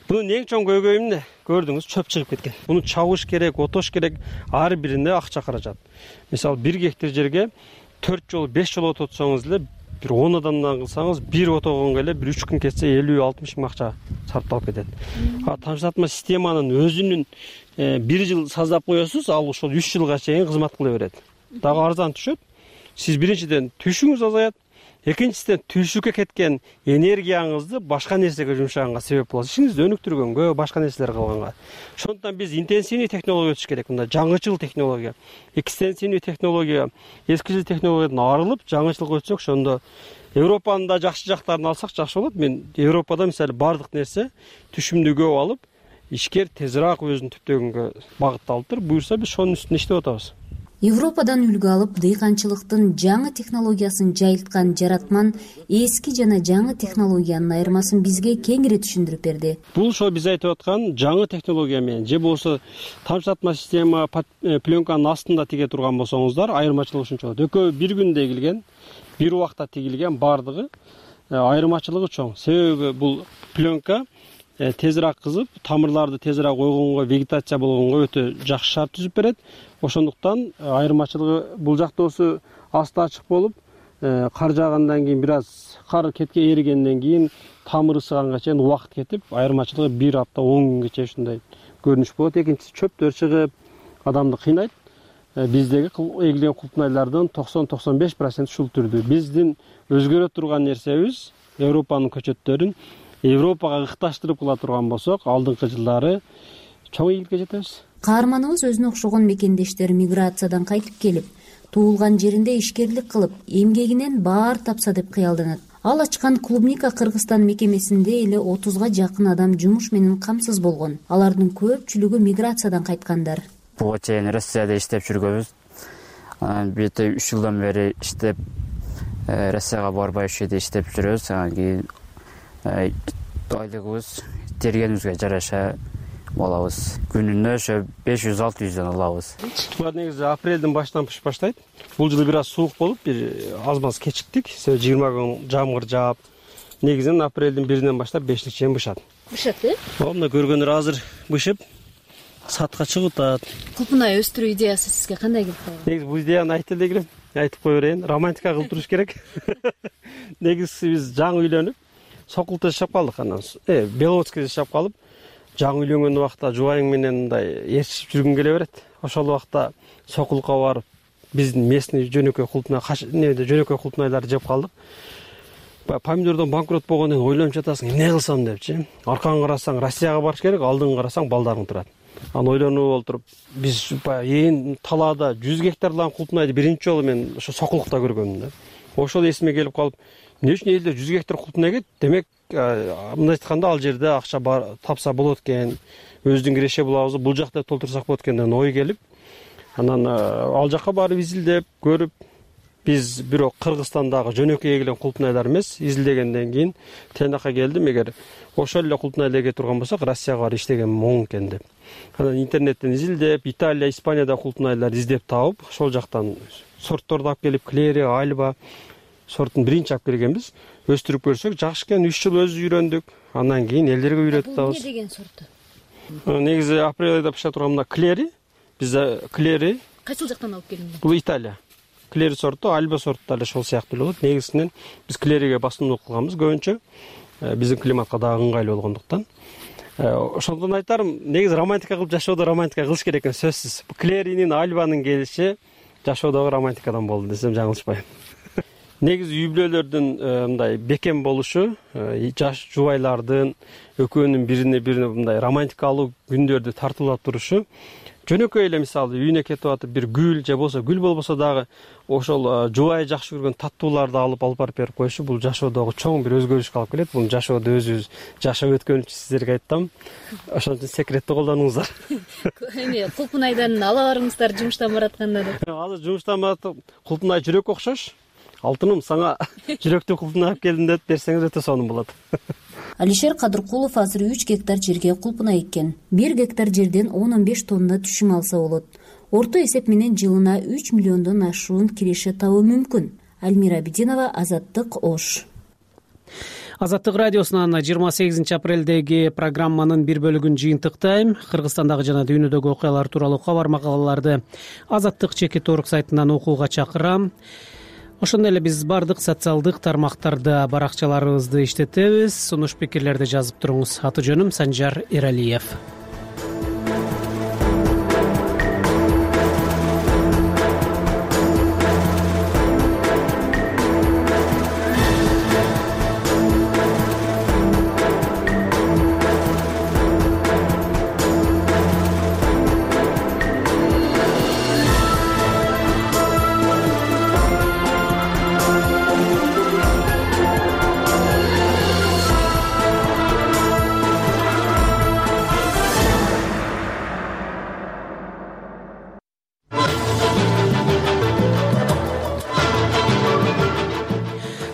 бунун эң чоң көйгөйү эмне? Көрдүңүз, чөп чыгып кеткен. Буну чабыш керек, отош керек, ар бирине акча каражат. Мисалы 1 гектар жерге 4 жолу 5 жолу ототсоңуз эле, бир 10 адамдан кылсаңыз, бир отогонго эле бир 3 күн кетсе 50-60 миң акча сарпталып кетет. Тамчылатма системанын өзүнүн 1 жыл саздап коесуз, ал ошол 3 жылга чейин кызмат кыла берет. Дагы арзан түшөт. сиз биринчиден түшүңүз азаят, экинчиден түшүккө кеткен энергияңызды башка нерсеге жумшаганга себеп болот, ишиңизди өнүктүргөнгө, башка нерселер кылганга. Ошондуктан биз интенсивный технология өтүш керек, мындай жаңычыл технология, экстенсивный технология, эскичил технологиядан арылып жаңычылга өтсөк, ошондо Европанын да жакшы жактарын алсак жакшы болот. Мен Европада мисалы баардык нерсе түшүмдү көп алып, ишкер тезирээк өзүн түптөгөнгө багытталыптыр. Буюрса биз ошонун үстүнө иштеп атабыз. Европадан үлгү алып, дыйканчылыктын жаңы технологиясын жайылткан жаратман эски жана жаңы технологиянын айырмасын бизге кеңири түшүндүрүп берди. Бул ошо биз айтып аткан жаңы технология менен же болбосо тамчылатма система пленканын астында тиге турган болсоңуздар, айырмачылыгы ушунча болот. Экөө бир күндө тигилген, бир убакта тигилген, баардыгы айырмачылыгы чоң. Себеби бул пленка тезирээк кызып, тамырларды тезирээк ойгонго, вегетация болгонго өтө жакшы шарт түзүп берет. Ошондуктан айырмачылыгы бул жактоосу асты ачык болуп, кар жаагандан кийин бир аз кар кетке эригенден кийин тамыр ысыганга чейин убакыт кетип, айырмачылыгы 1 апта 10 күнгө чейин ушундай көрүнүш болот. Экинчиси чөптөр чыгып, адамды кыйнайт. Биздеги эгилген кулпунайлардын 90-95% ушул түрдүү. Биздин өзгөрө турган нерсебиз Европанын көчөттөрүн Европага ыкташтырып кыла турган болсок, алдыңкы жылдары чоң ийгиликке жетебиз. Каарманыбыз өзүнө окшогон мекендештер миграциядан кайтып келип, туулган жеринде ишкерлик кылып, эмгегинен баар тапса деп кыялданат. Ал ачкан клубника Кыргызстан мекемесинде эле 30га жакын адам жумуш менен камсыз болгон. Алардын көпчүлүгү миграциядан кайткандар. Буга чейин Россияда иштеп жүргөнбүз. Бир 3 жылдан бери иштеп, Россияга барбай ушул жерде иштеп жүрөбүз. Анан кийин айлыгыбыз тергенибизге жараша алабыз. Күнүнө ошо 500-600 алабыз. Булар негизи апрелдин башынан пышып баштайт. Бул жылы бир аз суук болуп, бир аз-маз кечиктик. 20 күн жамгыр жаап, негизинен апрелдин 1-инен баштап 5-лик чейин бышат. Бышат, Мына көргөндөр азыр бышып сатка чыгып атат. Кулпунай өстүрүү идеясы сизге кандай келип калды? Негизи бул идеяны айтып эле айтып кое берейин. Романтика кылып туруш керек. Негизи биз жаңы үйлөнүп, Сокулда жашап калдык, анан Беловодскийде жашап калып, жаңы үйлөнгөн убакта жубайың менен мындай ээрчишип жүргүң келе берет. Ошол убакта Сокулга барып, биздин местный жөнөкөй кулпунайларды жеп калдык. Помидордон банкрот болгондон кийин ойлонуп жатасың, эмне кылсам депчи. Аркаңа карасаң, Россияга барыш керек, алдыңга карасаң, балдарың турат. Анан ойлонуп олтуруп, биз ээн талаада 100 гектарлан кулпунайды биринчи жолу мен ошо Сокулукта көргөмүн да. Ошол эсиме келип калып, эмне үчүн элде 100 гектар кулпунай экет? Демек, мындай айтканда ал жерде акча тапса болот экен, өзүбүздүн киреше булабызды бул жакта толтурсак болот экен деген ой келип, анан ал жакка барып изилдеп көрүп, биз бирок Кыргызстандагы жөнөкөй эгилген кулпунайлар эмес, изилдегенден кийин тыйнакка келдим, эгер ошол эле кулпунайды эге турган болсок, Россияга барып иштеген оң экен деп. Анан интернеттен изилдеп, Италия, Испанияда кулпунайларды издеп таап, ошол жактан сортторду алып келип, Клери, Альба сортун биринчи алып келгенбиз. Өстүрүп көрсөк, жакшы экен, 3 жыл өзү үйрөндүк. Андан кийин элдерге үйрөтүп атабыз. Эмне деген сорту? Негизи апрель айда пыша турган мына Клери. Бизде Клери. Кайсыл жактан алып келиңиз? Бул Италия. Клери сорту, Альба сорту да ошол сыяктуу болот. Негизинен биз Клериге басымдуулук кылганбыз көбүнчө. Биздин климатка дагы ыңгайлуу болгондуктан. Ошондон айтарым, негизи романтика кылып жашоодо романтика кылыш керек экен, сөзсүз. Клеринин, Альбанын келиши жашоодогу романтикадан болду десем жаңылышпайм. Негизи үй бүлөлөрдүн мындай бекем болушу, жаш жубайлардын экөөнүн бирине мындай романтикалуу күндөрдү тартуулап турушу, жөнөкөй эле мисалы үйүнө кетип атып бир гүл же болбосо гүл болбосо дагы ошол жубайы жакшы көргөн таттууларды алып барып берип коюшу, бул жашоодогу чоң бир өзгөрүшкө алып келет. Бул жашоодо өзүбүз жашап өткөн үчүн сиздерге айттым. Ошон үчүн секретти колдонуңуздар. Эми кулпунайдан ала барыңыздар жумуштан баратканда деп. Азыр жумуштан барып кулпунай жүрөккө окшош. Алтыным, сага жүрөктү кулпунай алып келдим деп берсеңиз өтө сонун болот. Алишер Кадыркулов азыр 3 гектар жерге кулпунай эккен. 1 гектар жерден 10-15 тонна түшүм алса болот. Орто эсеп менен жылына 3 миллиондон ашуун киреше табуу мүмкүн. Альмира Абидинова, Азаттык, Ош. Азаттык радиосунан 28 апрелдеги программанын бир бөлүгүн жыйынтыктайм. Кыргызстандагы жана дүйнөдөгү окуялар тууралуу кабар макалаларды Азаттык чекит.org сайтынан окууга чакырам. Ошондой эле биз бардык социалдык тармактарда баракчаларыбызды иштетебиз. Сунуш пикирлерди жазып туруңуз. Аты жөнүм Санжар Эралиев.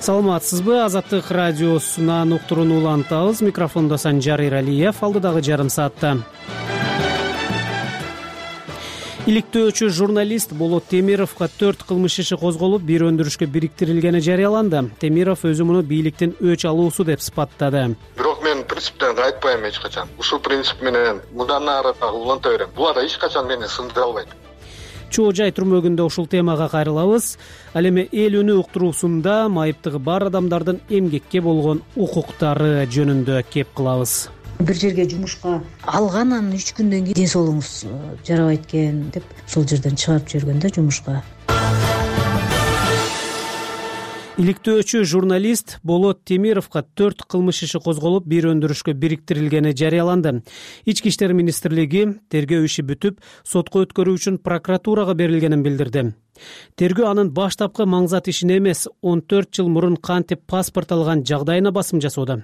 саламатсызбы? Азаттык радиосунан уктурууну улантабыз. Микрофондо Санжар Иралиев. Алдыдагы жарым саатта иликтөөчү журналист Болот Темировго 4 кылмыш иши козголуп, бир өндүрүшкө бириктирилгени жарыяланды. Темиров өзү муну бийликтин өч алуусу деп сыпаттады. Бирок мен принциптен кайтпайм эч качан. Ушул принцип менен мындан ары дагы уланта берем. Буга да эч качан мени сындыра албайт. Чоо жай түрмөгүндө ушул темага кайрылабыз. Ал эми эл үнү уктуруусунда майыптыгы бар адамдардын эмгекке болгон укуктары жөнүндө кеп кылабыз. Бир жерге жумушка алгандан 3 күндөн кийин ден соолугуңуз жарабайт экен деп ошол жерден чыгарып жиберген да жумушка. Иликтөөчү журналист Болот Темировго 4 кылмыш иши козголуп, бир өндүрүшкө бириктирилгени жарыяланды. Ички иштер министрлиги тергөө иши бүтүп, сотко өткөрүү үчүн прокуратурага берилгенин билдирди. Тергөө анын баштапкы маңзат ишине эмес, 14 жыл мурун кантип паспорт алган жагдайына басым жасоодо.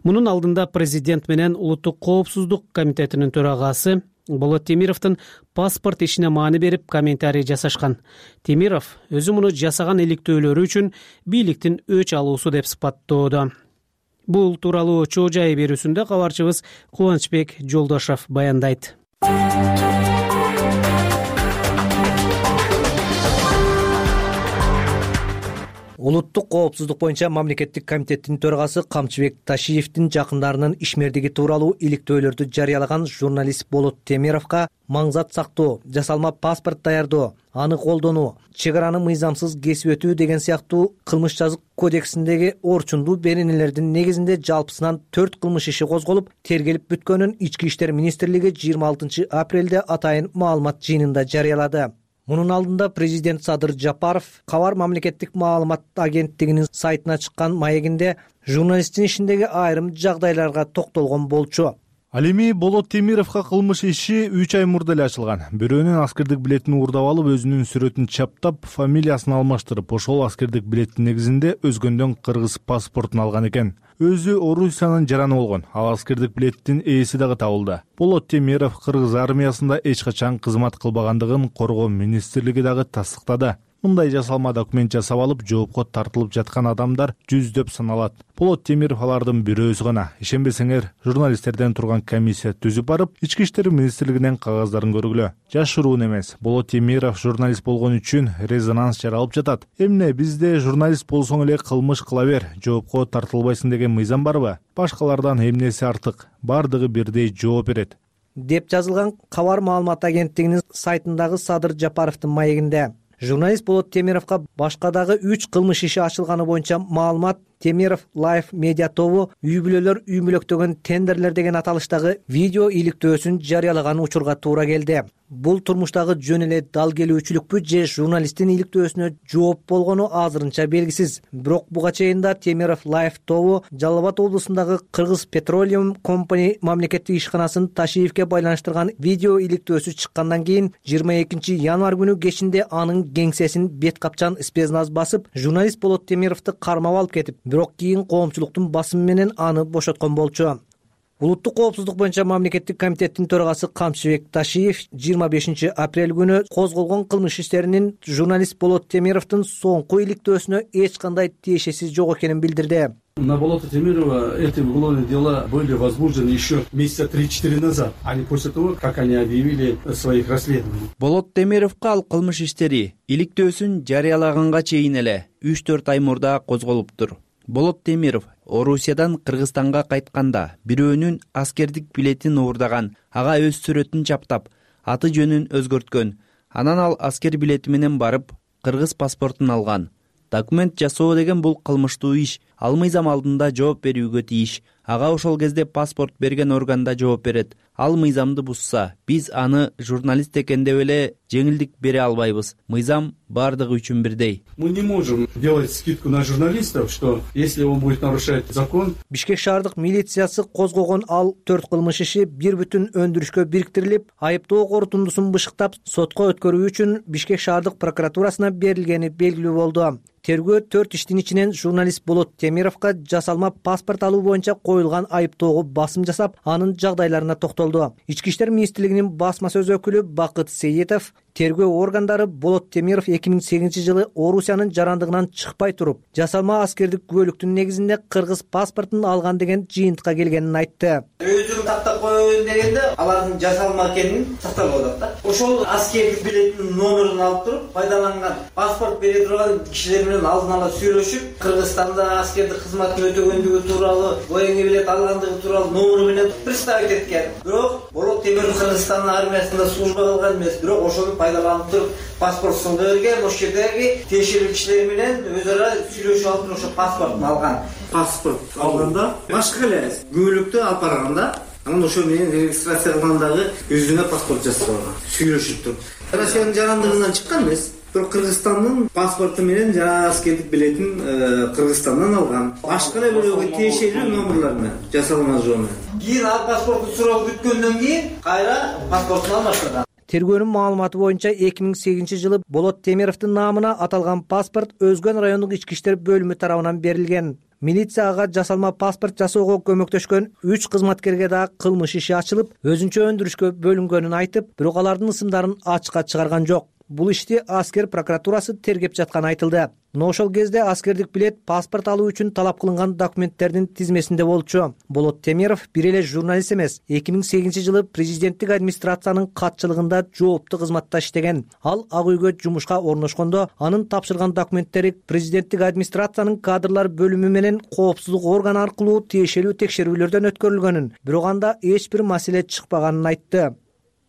Мунун алдында президент менен Улуттук коопсуздук комитетинин төрагасы Болот Темировдун паспорт ишине маани берип комментарий жасашкан. Темиров өзү муну жасаган иликтөөлөрү үчүн бийликтин өч алуусу деп сыпаттоодо. Бул тууралуу чоо жай берүүсүндө кабарчыбыз Кубанычбек Жолдошов баяндайт. Улуттук коопсуздук боюнча мамлекеттик комитеттин төрагасы Камчыбек Ташиевдин жакындарынын ишмердиги тууралуу иликтөөлөрдү жарыялаган журналист Болот Темировго маңзат сактоо, жасалма паспорт даярдоо, аны колдонуу, чек араны мыйзамсыз кесип өтүү деген сыяктуу кылмыш жазык кодексиндеги орчундуу беренелердин негизинде жалпысынан 4 кылмыш иши козголуп, тергелип бүткөнүн Ички иштер министрлиги 26 апрелде атайын маалымат жыйынында жарыялады. Мунун алдында президент Садыр Жапаров Кабар мамлекеттик маалымат агенттигинин сайтына чыккан маегинде журналисттин ишиндеги айрым жагдайларга токтолгон болчу. Ал эми Болот Темировго кылмыш иши 3 ай мурда эле ачылган. Бирөөнүн аскердик билетин уурдап алып, өзүнүн сүрөтүн чаптап, фамилиясын алмаштырып, ошол аскердик билеттин негизинде өзгөндөн кыргыз паспортун алган экен. Өзү Орусиянын жараны болгон. Ал аскердик билеттин ээси дагы табылды. Болот Темиров кыргыз армиясында эч качан кызмат кылбагандыгын Коргоо министрлиги дагы тастыктады. Мындай жасалма документ жасап алып, жоопко тартылып жаткан адамдар жүздөп саналат. Болот Темиров алардын бирөөсү гана. Ишенбесеңер, журналисттерден турган комиссия түзүп барып, Ички иштер министрлигинен кагаздарын көргүлө. Жашыруун эмес. Болот Темиров журналист болгон үчүн резонанс жаралып жатат. Эмне бизде журналист болсоң эле кылмыш кыла бер, жоопко тартылбайсың деген мыйзам барбы? Башкалардан эмнеси артык? Бардыгы бирдей жооп берет деп жазылган Кабар маалымат агенттигинин сайтындагы Садыр Жапаровдун маегинде. Журналист Болот Темировго башка дагы 3 кылмыш иши ачылганы боюнча маалымат Темиров Live медиа тобу үй бүлөлөр үй мүлөктөгөн тендерлер деген аталыштагы видео иликтөөсүн жарыялаган учурга туура келди. Бул турмуштагы жөн эле дал келүүчүлүкпү же журналисттин иликтөөсүнө жооп болгону азырынча белгисиз. Бирок буга чейин да Темиров Live тобу Жалал Абад облусундагы Кыргыз Petroleum Company мамлекеттик ишканасын Ташиевге байланыштырган видео иликтөөсү чыккандан кийин 22 январь күнү кечинде анын кеңсесин бет капчан спецназ басып, журналист Болот Темировду кармап алып кетип, бирок кийин коомчулуктун басымы менен аны бошоткон болчу. Улуттук коопсуздук боюнча мамлекеттик комитеттин төрагасы Камчыбек Ташиев 25 апрель күнү козголгон кылмыш иштеринин журналист Болот Темировдун соңку иликтөөсүнө эч кандай тиешеси жок экенин билдирди. На Болота Темирова эти уголовные дела были возбуждены еще месяца 3-4 назад, а не после того, как они объявили своих расследований. Болот Темировго ал кылмыш иштери иликтөөсүн жарыялаганга чейин эле 3-4 ай мурда козголуптур. Болот Темиров Орусиядан Кыргызстанга кайтканда бирөөнүн аскердик билетин уурдаган, ага өз сүрөтүн чаптап, аты жөнүн өзгөрткөн. Анан ал аскер билети менен барып, кыргыз паспортун алган. Документ жасоо деген бул кылмыштуу иш. Ал мыйзам алдында жооп берүүгө тийиш. Ага ошол кезде паспорт берген органда жооп берет. Ал мыйзамды бузса, биз аны журналист экен деп эле жеңилдик бере албайбыз. Мыйзам бардыгы үчүн бирдей. Мы не можем делать скидку на журналистов, что если он будет нарушать закон. Бишкек шаардык милициясы козгогон ал 4 кылмыш иши бир бүтүн өндүрүшкө бириктирилип, айыптоо корутундусун бышыктап, сотко өткөрүү үчүн Бишкек шаардык прокуратурасына берилгени белгилүү болду. Тергөө 4 иштин ичинен журналист Болот Темировго жасалма паспорт алуу боюнча коюлган айыптоого басым жасап, анын жагдайларына токтолду. Ички иштер министрлигинин басма сөз өкүлү Бакыт Сейитов тергөө органдары Болот Темиров 2008-жылы Орусиянын жарандыгынан чыкпай туруп, жасалма аскердик күбөлүктүн негизинде кыргыз паспортун алган деген жыйынтыкка келгенин айтты. Өзүн тактап коеюн дегенде алардын жасалма экенин тактап атат да. Ошол аскердик билеттин номерин алып туруп, пайдаланган паспорт бере турган кишилер менен алдын ала сүйлөшүп, Кыргызстанда аскердик кызматын өтөгөндүгү тууралуу, военный билет алгандыгы тууралуу номеру менен представить эткен. Бирок Болот Темиров Кыргызстан армиясында служба кылган эмес, бирок ошону пайдаланып туруп паспорт сынга берген, ошол жердеги тиешелүү кишилер менен өз ара сүйлөшүп алып ошо паспортун алган. Паспорт алганда башка эле күбөлүктү алып барганда, анан ошо менен регистрация кылгандагы өзүнө паспорт жасап алган. Сүйлөшүп туруп. Россиянын жарандыгынан чыккан эмес. Бирок Кыргызстандын паспорту менен жана аскердик билетин Кыргызстандан алган. Башка эле бирөөгө тиешелүү номерлер менен жасалма жол менен. Кийин ал паспортту сурап бүткөндөн кийин кайра паспортун алмаштырган. Тергөөнүн маалыматы боюнча 2008-жылы Болот Темировдун наамына аталган паспорт Өзгөн райондук ички иштер бөлүмү тарабынан берилген. Милицияга жасалма паспорт жасоого көмөктөшкөн 3 кызматкерге да кылмыш иши ачылып, өзүнчө өндүрүшкө бөлүнгөнүн айтып, бирок алардын ысымдарын ачыкка чыгарган жок. Бул ишти аскер прокуратурасы тергеп жатканы айтылды. Но ошол кезде аскердик билет паспорт алуу үчүн талап кылынган документтердин тизмесинде болчу. Болот Темиров бир эле журналист эмес, 2008-жылы президенттик администрациянын катчылыгында жооптуу кызматта иштеген. Ал Ак үйгө жумушка орношкондо анын тапшырган документтери президенттик администрациянын кадрлар бөлүмү менен коопсуздук органы аркылуу тиешелүү текшерүүлөрдөн өткөрүлгөнүн, бирок анда эч бир маселе чыкпаганын айтты.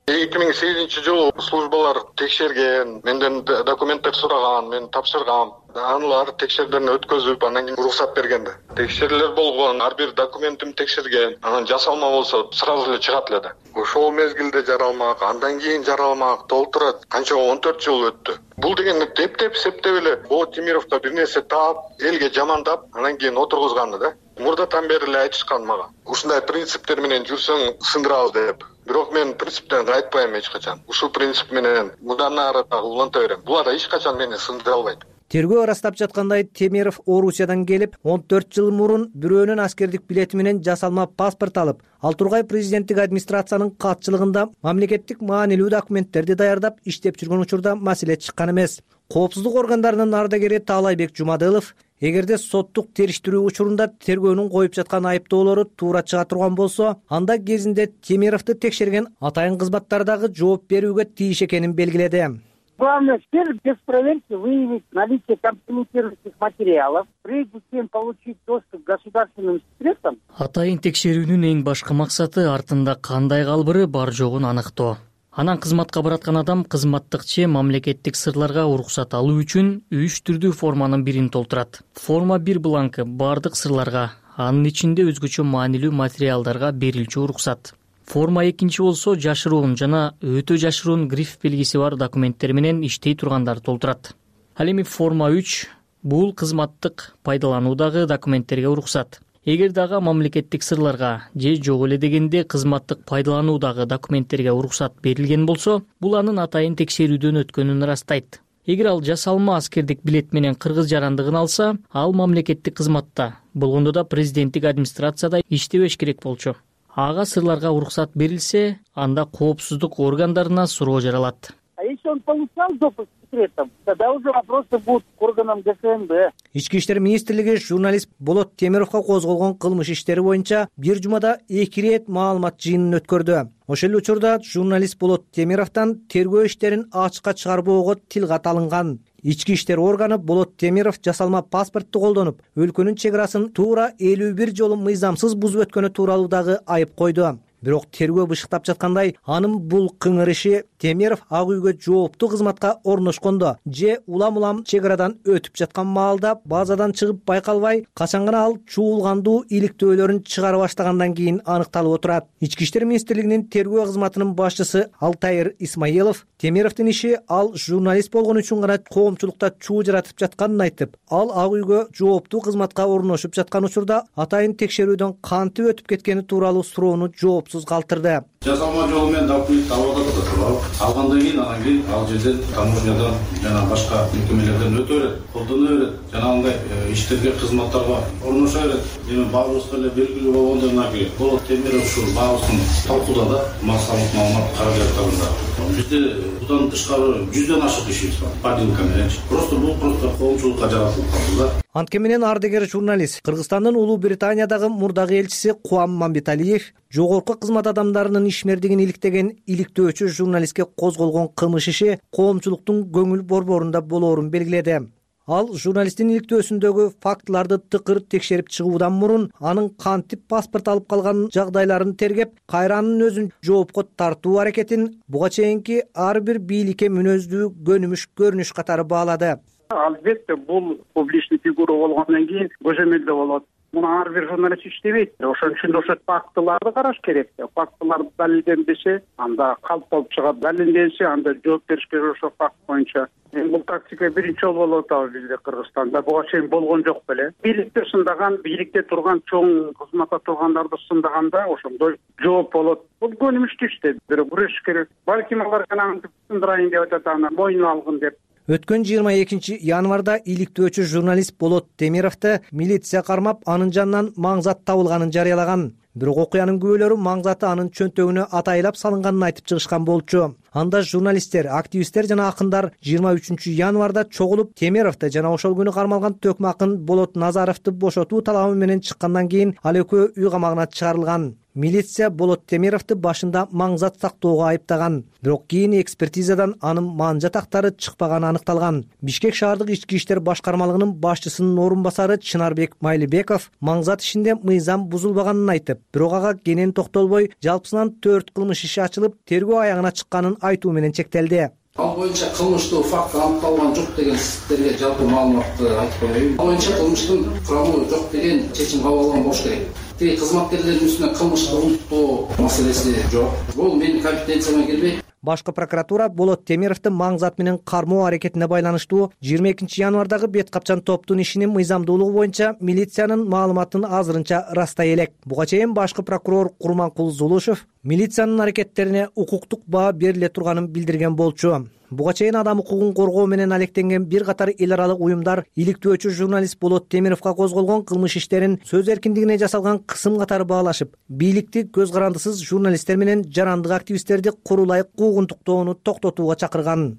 2008-жылы службалар текшерген, менден документтер сураган, мен тапшыргам. Аналар текшерүүдөн өткөзүп, анан кийин уруксат бергенде. Текшерүүлөр болгон, ар бир документим текшерген. Анан жасалма болсо сразу эле чыгат эле да. Ошол мезгилде жаралмак, андан кийин жаралмак толтурат. Канча 14 жыл өттү. Бул деген тептеп септеп эле Болот Темировго бир нерсе таап, элге жамандап, анан кийин отургузганды да. Мурдатан бери эле айтышкан мага. Ушундай принциптер менен жүрсөң сындырабыз деп. Бирок мен принциптен кайтпайм эч качан. Ушул принцип менен мындан ары дагы уланта берем. Булар эч качан мени сындыра албайт. Тергөө ырастап жаткандай Темиров Орусиядан келип, 14 жыл мурун бирөөнүн аскердик билети менен жасалма паспорт алып, ал тургай президенттик администрациянын катчылыгында мамлекеттик маанилүү документтерди даярдап иштеп жүргөн учурда маселе чыккан эмес. Коопсуздук органдарынын ардагери Таалайбек Жумадылов, эгерде соттук териштирүү учурунда тергөөнүн коюп жаткан айыптоолору туура чыга турган болсо, анда кезинде Темировду текшерген атайын кызматтар дагы жооп берүүгө тийиш экенин белгиледи. Главная цель без проверки выявить наличие компрометирующих материалов, прежде чем получить доступ к государственным секретам. Атайын текшерүүнүн эң башкы максаты артында кандай калбыры бар жогун аныктоо. Анан кызматка бараткан адам кызматтык же мамлекеттик сырларга уруксат алуу үчүн 3 түрдүү форманын бирин толтурат. Форма 1 бланкы бардык сырларга, анын ичинде өзгөчө маанилүү материалдарга берилчү уруксат. Форма 2 болсо жашыруун жана өтө жашыруун гриф белгиси бар документтер менен иштей тургандар толтурат. Ал эми форма 3 бул кызматтык пайдалануудагы документтерге уруксат. Эгер дагы мамлекеттик сырларга же жок эле дегенде кызматтык пайдалануудагы документтерге уруксат берилген болсо, бул анын атайын текшерүүдөн өткөнүн ырастайт. Эгер ал жасалма аскердик билет менен кыргыз жарандыгын алса, ал мамлекеттик кызматта, болгондо да президенттик администрацияда иштебеш керек болчу. Ага сырларга уруксат берилсе, анда коопсуздук органдарына суроо жаралат. А если он получал допуск к секретам, тогда уже вопросы будут к органам ГСМБ. Ички иштер министрлиги журналист Болот Темировго козголгон кылмыш иштери боюнча бир жумада 2 рет маалымат жыйынын өткөрдү. Ошол эле учурда журналист Болот Темировдон тергөө иштерин ачыкка чыгарбоого тил кат алынган. Ички иштер органы Болот Темиров жасалма паспортту колдонуп, өлкөнүн чек арасын туура 51 жолу мыйзамсыз бузуп өткөнү тууралуу дагы айып койду. Бирок тергөө бышыктап жаткандай, анын бул кыңыр иши Темиров Ак үйгө жооптуу кызматка орношкондо же улам чек арадан өтүп жаткан маалда базадан чыгып байкалбай, качан гана ал чуулгандуу иликтөөлөрүн чыгара баштагандан кийин аныкталып отурат. Ички иштер министрлигинин тергөө кызматынын башчысы Алтайыр Исмаилов Темировдун иши ал журналист болгон үчүн гана коомчулукта чуу жаратып жатканын айтып, ал Ак үйгө жооптуу кызматка орношуп жаткан учурда атайын текшерүүдөн кантип өтүп кеткени тууралуу суроону жооп жоопсуз калтырды. Жасалма жолу менен документ алып атат. Алгандан кийин анан кийин ал жерден таможнядан жана башка мекемелерден өтө берет, колдоно берет, жана андай иштерге, кызматтарга орноша берет. Эми баарыбызга эле белгилүү болгондой, мынакей Болот Темиров ушул баабыздын талкууда да массалык маалымат каражаттарында. Бизде будан тышкары 100дөн ашык ишибиз бар. Падилка менен. Бул коомчулукка жаратылып калды да. Анткени менен ардыгер журналист Кыргызстандын Улуу Британиядагы мурдагы элчиси Куам Мамбеталиев жогорку кызмат адамдарынын ишмердигин иликтеген иликтөөчү журналистке козголгон кылмыш иши коомчулуктун көңүл борборунда болоорун белгиледи. Ал журналисттин иликтөөсүндөгү фактыларды тыкыр текшерип чыгуудан мурун анын кантип паспорт алып калган жагдайларын тергеп, кайра анын өзүн жоопко тартуу аракетин буга чейинки ар бир бийликке мүнөздүү көнүмүш көрүнүш катары баалады. Албетте, бул публичный фигура болгондон кийин көзөмөлдө болот. Муну ар бир журналист иштебейт. Ошон үчүн ошо фактыларды караш керек. Фактылар далилденбесе, анда калпталып чыгат. Далилденсе, анда жооп бериш керек ошо факт боюнча. Бул тактика биринчи жолу болуп атабы бизде Кыргызстанда. Буга чейин болгон жок беле. Бийликте сындаган, бийликте турган чоң кызматта тургандарды сындаганда ошондой жооп болот. Бул көнүмүштүү иште, бирок күрөшүш керек. Балким алар гана сындырайын деп атат, аны мойнуна алгын деп. Өткөн 22 январда иликтөөчү журналист Болот Темировду милиция кармап, анын жанынан маңзат табылганын жарыялаган. Бирок окуянын күбөлөрү маңзаты анын чөнтөгүнө атайлап салынганын айтып чыгышкан болчу. Анда журналисттер, активисттер жана акындар 23 январда чогулуп Темировду жана ошол күнү кармалган төкмө акын Болот Назаровду бошотуу талабы менен чыккандан кийин ал экөө үй камагына чыгарылган. Милиция Болот Темировду башында маңзат сактоого айыптаган. Бирок кийин экспертизадан анын манжа тактары чыкпаганы аныкталган. Бишкек шаардык ички иштер башкармалыгынын башчысынын орун басары Чынарбек Майлыбеков маңзат ишинде мыйзам бузулбаганын айтып, бирок ага кенен токтолбой, жалпысынан 4 кылмыш иши ачылып, тергөө аягына чыкканын айтуу менен чектелди. Ал боюнча кылмыштуу факт аныкталган жок деген сиздерге жалпы маалыматты айтып коеюн. Ал боюнча кылмыштын курамы жок деген чечим кабыл алынган болуш керек. Тиги кызматкерлердин үстүнө кылмышты улуттоо маселеси жок. Бул менин компетенцияма кирбейт. Башкы прокуратура Болот Темировду маңзат менен кармоо аракетине байланыштуу 22 январдагы бет капчан топтун ишинин мыйзамдуулугу боюнча милициянын маалыматын азырынча ырастай элек. Буга чейин башкы прокурор Курманкул Зулушев милициянын аракеттерине укуктук баа бериле турганын билдирген болчу. Буга чейин адам укугун коргоо менен алектенген бир катар эл аралык уюмдар иликтөөчү журналист Болот Темировго козголгон кылмыш иштерин сөз эркиндигине жасалган кысым катары баалашып, бийликти көз карандысыз журналисттер менен жарандык активисттерди курулай куугунтуктоону токтотууга чакырган.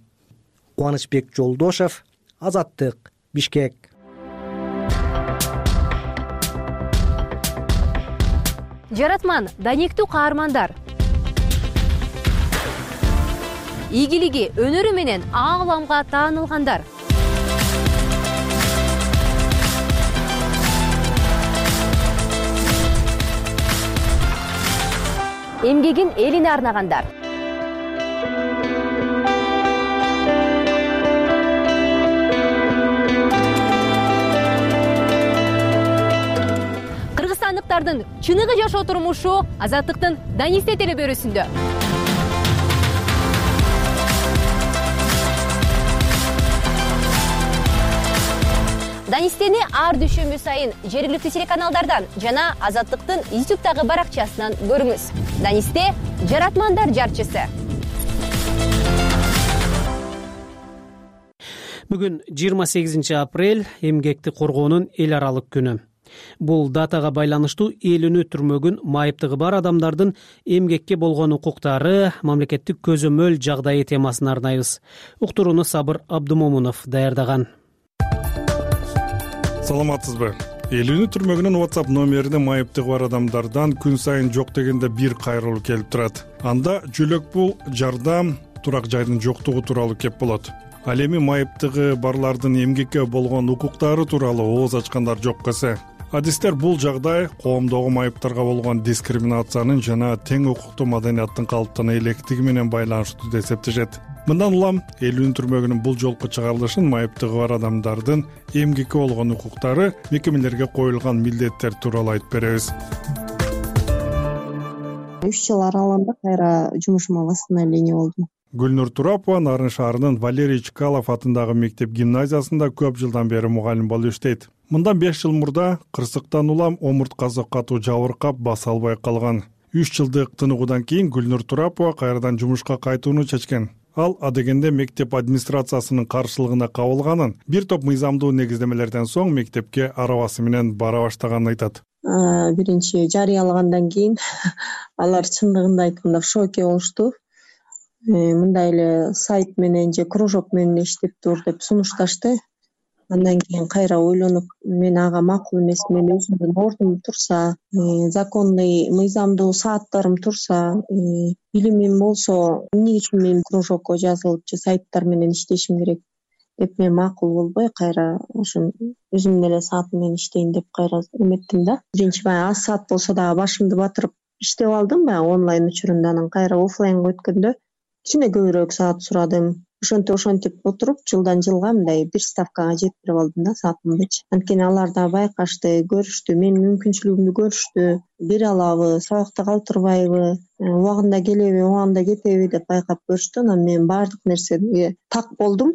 Кубанычбек Жолдошев, Азаттык, Бишкек. Жаратман, даниктүү каармандар. Ийгилиги, өнөрү менен ааламга таанылгандар. Эмгегин элине арнагандар. Кыргызстандыктардын чыныгы жашоо турмушу Азаттыктын Данисте телебөрүсүндө. Данистени ар дүйшөмбү сайын жергиликтүү телеканалдардан жана Азаттыктын YouTube'дагы баракчасынан көрүңүз. Данисте — жаратмандар жарчысы. Бүгүн 28 апрель эмгекти коргоонун эл аралык күнү. Бул датага байланыштуу элүүнү түрмөгүн майыптыгы бар адамдардын эмгекке болгон укуктары, мамлекеттик көзөмөл жагдайы темасын арнайбыз. Уктурууну Сабыр Абдумомунов даярдаган. Саламатсызбы? Элүүнү түрмөгүнүн WhatsApp номерине майыптыгы бар адамдардан күн сайын жок дегенде бир кайрылуу келип турат. Анда жөлөк пул, жардам, турак жайдын жоктугу тууралуу кеп болот. Ал эми майыптыгы барлардын эмгекке болгон укуктары тууралуу ооз ачкандар жок эсе. Адистер бул жагдай коомдогу майыптарга болгон дискриминациянын жана тең укуктуу маданияттын калыптана электиги менен байланыштуу деп эсептешет. Мындан улам элүүнү түрмөгүнүн бул жолку чыгарылышын майыптыгы бар адамдардын эмгекке болгон укуктары, мекемелерге коюлган милдеттер тууралуу айтып беребиз. 3 жыл аралыгында кайра жумушума восстановление болдум. Гүлнур Турапова Нарын шаарынын Валерий Чкалов атындагы мектеп гимназиясында көп жылдан бери мугалим болуп иштейт. Мындан 5 жыл мурда кырсыктан улам омурткасы катуу жабыркап баса албай калган. 3 жылдык тыныгуудан кийин Гүлнур Турапова кайрадан жумушка кайтууну чечкен. Ал адегенде мектеп администрациясынын каршылыгына кабылганын, бир топ мыйзамдуу негиздемелерден соң мектепке арабасы менен бара баштаганын айтат. Биринчи жарыялагандан кийин алар чындыгында айтканда в шоке болушту. Мындай эле сайт менен же кружок менен иштеп тур деп сунушташты. Андан кийин кайра ойлонуп, мен ага макул эмес, мен өзүмдүн ордум турса, законный мыйзамдуу сааттарым турса, билимим болсо, эмне үчүн мен кружокко жазылып же сайттар менен иштешим керек деп мен макул болбой, кайра ошо өзүмдүн эле саатым менен иштейин деп кайра эметтим да. Биринчи баягы аз саат болсо дагы башымды батырып иштеп алдым баягы онлайн учурунда, анан кайра оффлайнга өткөндө кичине көбүрөөк саат сурадым. Ошентип отуруп жылдан жылга мындай бир ставкага жеткирип алдым да саатымдычы. Анткени алар да байкашты, көрүштү, менин мүмкүнчүлүгүмдү көрүштү, бере алабы, сабакта калтырбайбы, убагында келеби, убагында кетеби деп байкап көрүштү. Анан мен баардык нерсеге так болдум.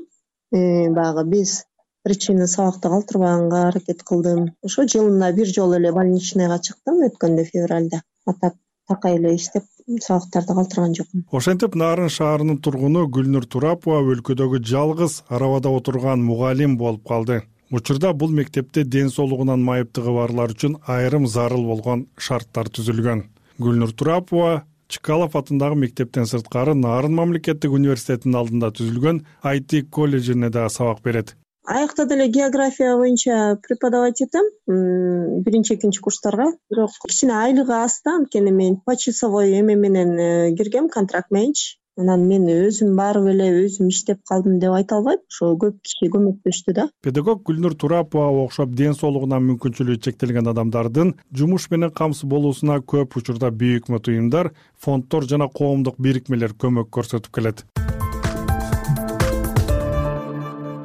Баягы без причины сабакта калтырбаганга аракет кылдым. Ошо жылына бир жолу эле больничныйга чыктым өткөндө февралда. Атап такай эле иштеп сабактарды калтырган жокмун. Ошентип Нарын шаарынын тургуну Гүлнур Турапова өлкөдөгү жалгыз арабада отурган мугалим болуп калды. Учурда бул мектепте ден соолугунан майыптыгы барлар үчүн айрым зарыл болгон шарттар түзүлгөн. Гүлнур Турапова Чкалов атындагы мектептен сырткары Нарын мамлекеттик университетинин алдында түзүлгөн IT колледжине да сабак берет. Аякта деле география боюнча преподавать этем, биринчи экинчи курстарга. Бирок кичине айлыгы аз да, анткени мен почасовой эме менен киргем, контракт менчи. Анан мен өзүм барып эле өзүм иштеп калдым деп айта албайм. Ошо көп киши көмөктөштү да. Педагог Гүлнур Турапова окшоп ден соолугунан мүмкүнчүлүгү чектелген адамдардын жумуш менен камсыз болуусуна көп учурда büyük уюмдар, фонддор жана коомдук бирикмелер көмөк көрсөтүп келет.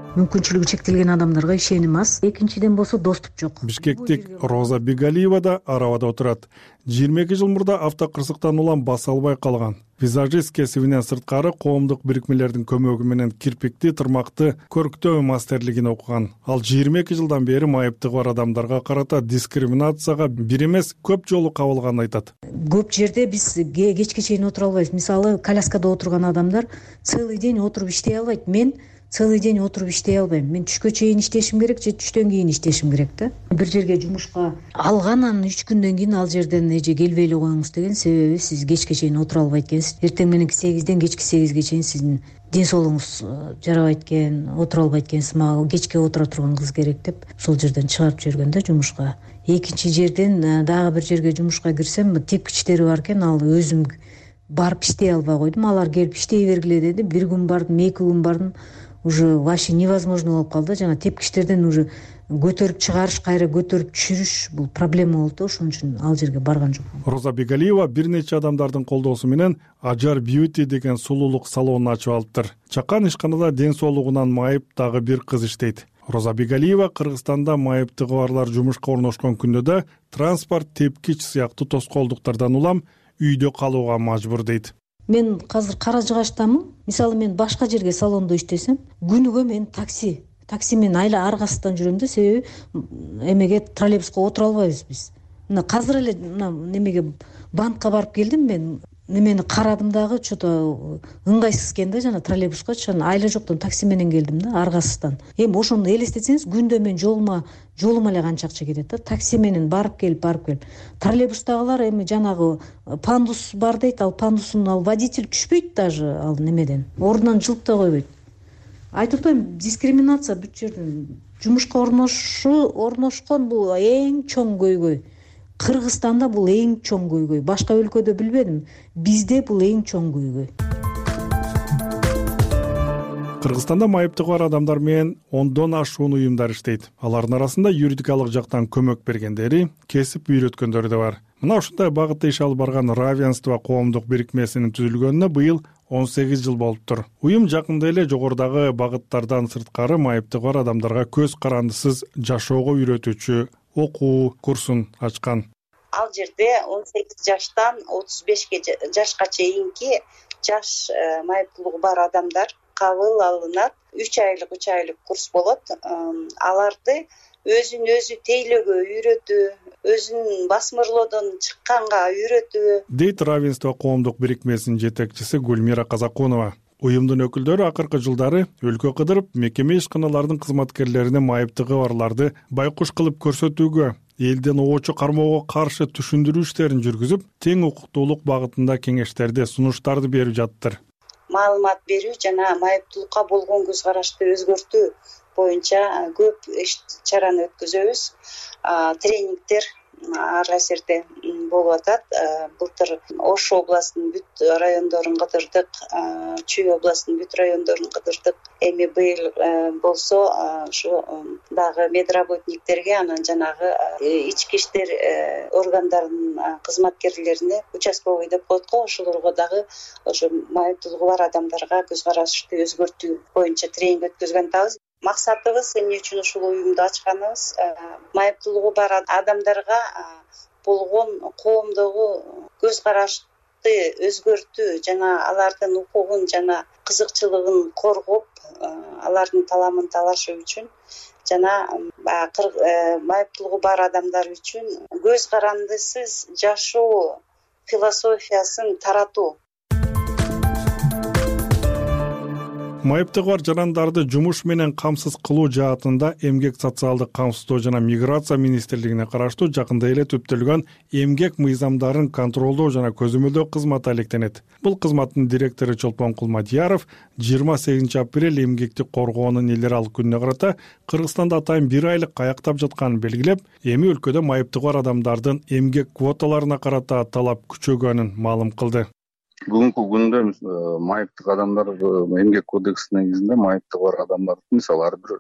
Мүмкүнчүлүгү чектелген адамдарга ишеним аз. Экинчиден болсо доступ жок. Бишкектик Роза Бигалиева да арабада отурат. 22 жыл мурда автокырсыктан улам баса албай калган. Визажист кесибинен сырткары коомдук бирикмелердин көмөгү менен кирпикти, тырмакты көрктөө мастерлигин окуган. Ал 22 жылдан бери майыптыгы бар адамдарга карата дискриминацияга бир эмес көп жолу кабылганын айтат. Көп жерде биз кечке чейин отура албайбыз. Мисалы, коляскада отурган адамдар целый день отуруп иштей албайт. Мен целый день отуруп иштей албайм. Мен түшкө чейин иштешим керек же түштөн кийин иштешим керек да. Бир жерге жумушка алгандан 3 күндөн кийин ал жерден эже келбей эле коюңуз деген себеби сиз кечке чейин отура албайт экенсиз. Эртең мененки 8ден кечки 8ге чейин сиздин ден соолугуңуз жарабайт экен, отура албайт экенсиз. Мага кечке отура турган кыз керек деп сол жерден чыгарып жиберген да жумушка. Экинчи жерден дагы бир жерге жумушка кирсем, тепкичтери бар экен, ал өзүм барып иштей албай койдум. Алар келип иштей бергиле деди. Бир күн бардым, 2 күн бардым. Уже вообще невозможно болуп калды. Жана тепкичтерден уже көтөрүп чыгарыш, кайра көтөрүп түшүрүш бул проблема болду. Ошон үчүн ал жерге барган жокмун. Роза Бигалиева бир нече адамдардын колдоосу менен Ажар Beauty деген сулуулук салонун ачып алыптыр. Чакан ишканада ден соолугунан майып дагы бир кыз иштейт. Роза Бигалиева Кыргызстанда майыптыгы барлар жумушка орношкон күндө да транспорт, тепкич сыяктуу тоскоолдуктардан улам үйдө калууга мажбур дейт. Мен азыр Кара Жыгачтамын. Мисалы, мен башка жерге салондо иштесем, күнүгө мен такси менен айла аргасыздан жүрөм да, себеби эмеге троллейбуска отура албайбыз биз. Мына азыр эле немеге банкка барып келдим, мен немени карадым дагы, что-то ыңгайсыз экен да, жана троллейбуска айла жоктон такси менен келдим да, аргасыздан. Эми ошону элестетсеңиз, күндө мен жолума эле канча акча кетет да, такси менен барып келип. Троллейбустагылар эми жанагы пандус бар дейт, ал пандустун ал водитель түшпөйт даже ал немеден. Ордунан жылып да койбойт. Айтып атпайм, дискриминация бүт жерден. Жумушка орношкон бул эң чоң көйгөй. Кыргызстанда бул эң чоң көйгөй. Башка өлкөдө билбедим. Бизде бул эң чоң көйгөй. Кыргызстанда майыптыгы бар адамдар менен 10дон ашуун уюмдар иштейт. Алардын арасында юридикалык жактан көмөк бергендери, кесип үйрөткөндөрү да бар. Мына ушундай багытта иш алып барган Равенство коомдук бирикмесинин түзүлгөнүнө быйыл 18 жыл болуптур. Уюм жакында эле жогорудагы багыттардан сырткары майыптыгы бар адамдарга көз карандысыз жашоого үйрөтүүчү окуу курсун ачкан. Ал жерде 18 жаштан 35 жашка чейинки жаш майыптуулугу бар адамдар кабыл алынат. 3 айлык курс болот. Аларды өзүн өзү тейлөөгө үйрөтүү, өзүн басмырлоодон чыкканга үйрөтүү, дейт равенство коомдук бирикмесинин жетекчиси Гүлмира Казакунова. Уюмдун өкүлдөрү акыркы жылдары өлкө кыдырып, мекеме ишканаларынын кызматкерлерине майыптыгы барларды байкуш кылып көрсөтүүгө, элден оочу кармоого каршы түшүндүрүү иштерин жүргүзүп, тең укуктуулук багытында кеңештерди, сунуштарды берип жаттыр. Маалымат берүү жана майыптуулукка болгон көз карашты өзгөртүү боюнча көп иш-чараны өткөзөбүз. Тренингдер ар кайсы болуп атат. Былтыр Ош областынын бүт райондорун кыдырдык, Чүй областынын бүт райондорун кыдырдык. Эми быйыл болсо ушу дагы медработниктерге, анан жанагы ички иштер органдарынын кызматкерлерине, участковый деп коет го, ошолорго дагы ошо майыптуулугу бар адамдарга көз карашты өзгөртүү боюнча тренинг өткөзгөн атабыз. Максатыбыз эмне үчүн ушул уюмду ачканыбыз, майыптуулугу бар адамдарга болгон коомдогу көз карашты өзгөртүү жана алардын укугун жана кызыкчылыгын коргоп, алардын таламын талашуу үчүн жана майыптуулугу бар адамдар үчүн көз карандысыз жашоо философиясын таратуу. Майыптыгы бар жарандарды жумуш менен камсыз кылуу жаатында Эмгек социалдык камсыздоо жана миграция министрлигине караштуу жакында эле түптөлгөн эмгек мыйзамдарын контролдоо жана көзөмөлдөө кызматы алектенет. Бул кызматтын директору Чолпон Кулмадияров 28 апрель эмгекти коргоонун эл аралык күнүнө карата Кыргызстанда атайын 1 айлык каяктап жатканын белгилеп, эми өлкөдө майыптыгы бар адамдардын эмгек квоталарына карата талап күчөгөнүн маалым кылды. Бүгүнкү күндө майыптык адамдар эмгек кодексинин негизинде майыптыгы бар адамдар, мисалы ар бир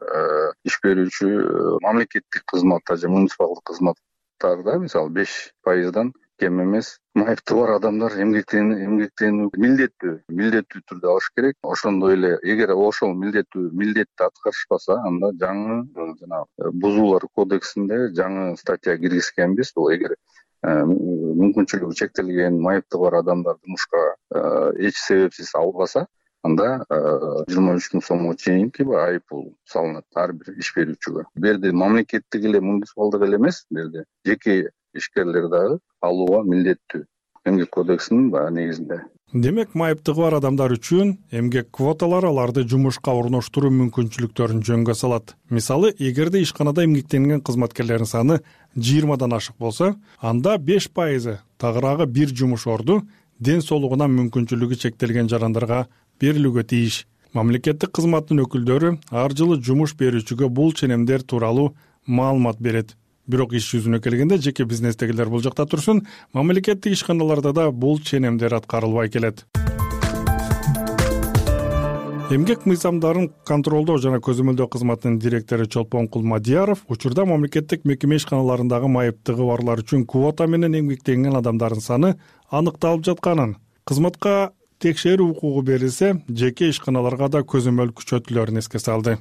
иш берүүчү мамлекеттик кызматта же муниципалдык кызматтарда мисалы 5%дан кем эмес майыптыгы бар адамдар эмгектенүү милдеттүү түрдө алыш керек. Ошондой эле эгер ошол милдетти аткарышпаса, анда жаңы жана бузуулар кодексинде жаңы статья киргизгенбиз. Бул эгер мүмкүнчүлүгү чектелген майыптыгы бар адамдар жумушка эч себепсиз албаса, анда 23 000 сомго чейинки айыппул салынат ар бир иш берүүчүгө. Бул жерде мамлекеттик эле, муниципалдык эле эмес, бул жерде жеке ишкерлер дагы алууга милдеттүү эмгек кодексинин негизинде. Демек, майыптыгы бар адамдар үчүн эмгек квоталары аларды жумушка орноштуруу мүмкүнчүлүктөрүн жөнгө салат. Мисалы, эгерде ишканада эмгектенген кызматкерлердин саны 20дан ашык болсо, анда 5% тагыраагы бир жумуш орду ден соолугунан мүмкүнчүлүгү чектелген жарандарга берилүүгө тийиш. Мамлекеттик кызматтын өкүлдөрү ар жылы жумуш берүүчүгө бул ченемдер тууралуу маалымат берет. Бирок иш жүзүнө келгенде жеке бизнестегилер бул жакта турсун, мамлекеттик ишканаларда да бул ченемдер аткарылбай келет. Эмгек мыйзамдарын контролдоо жана көзөмөлдөө кызматынын директору Чолпон Кулмадияров учурда мамлекеттик мекеме ишканаларындагы майыптыгы барлар үчүн квота менен эмгектенген адамдардын саны аныкталып жатканын, кызматка текшерүү укугу берилсе, жеке ишканаларга да көзөмөл күчөтүлөрүн эске салды.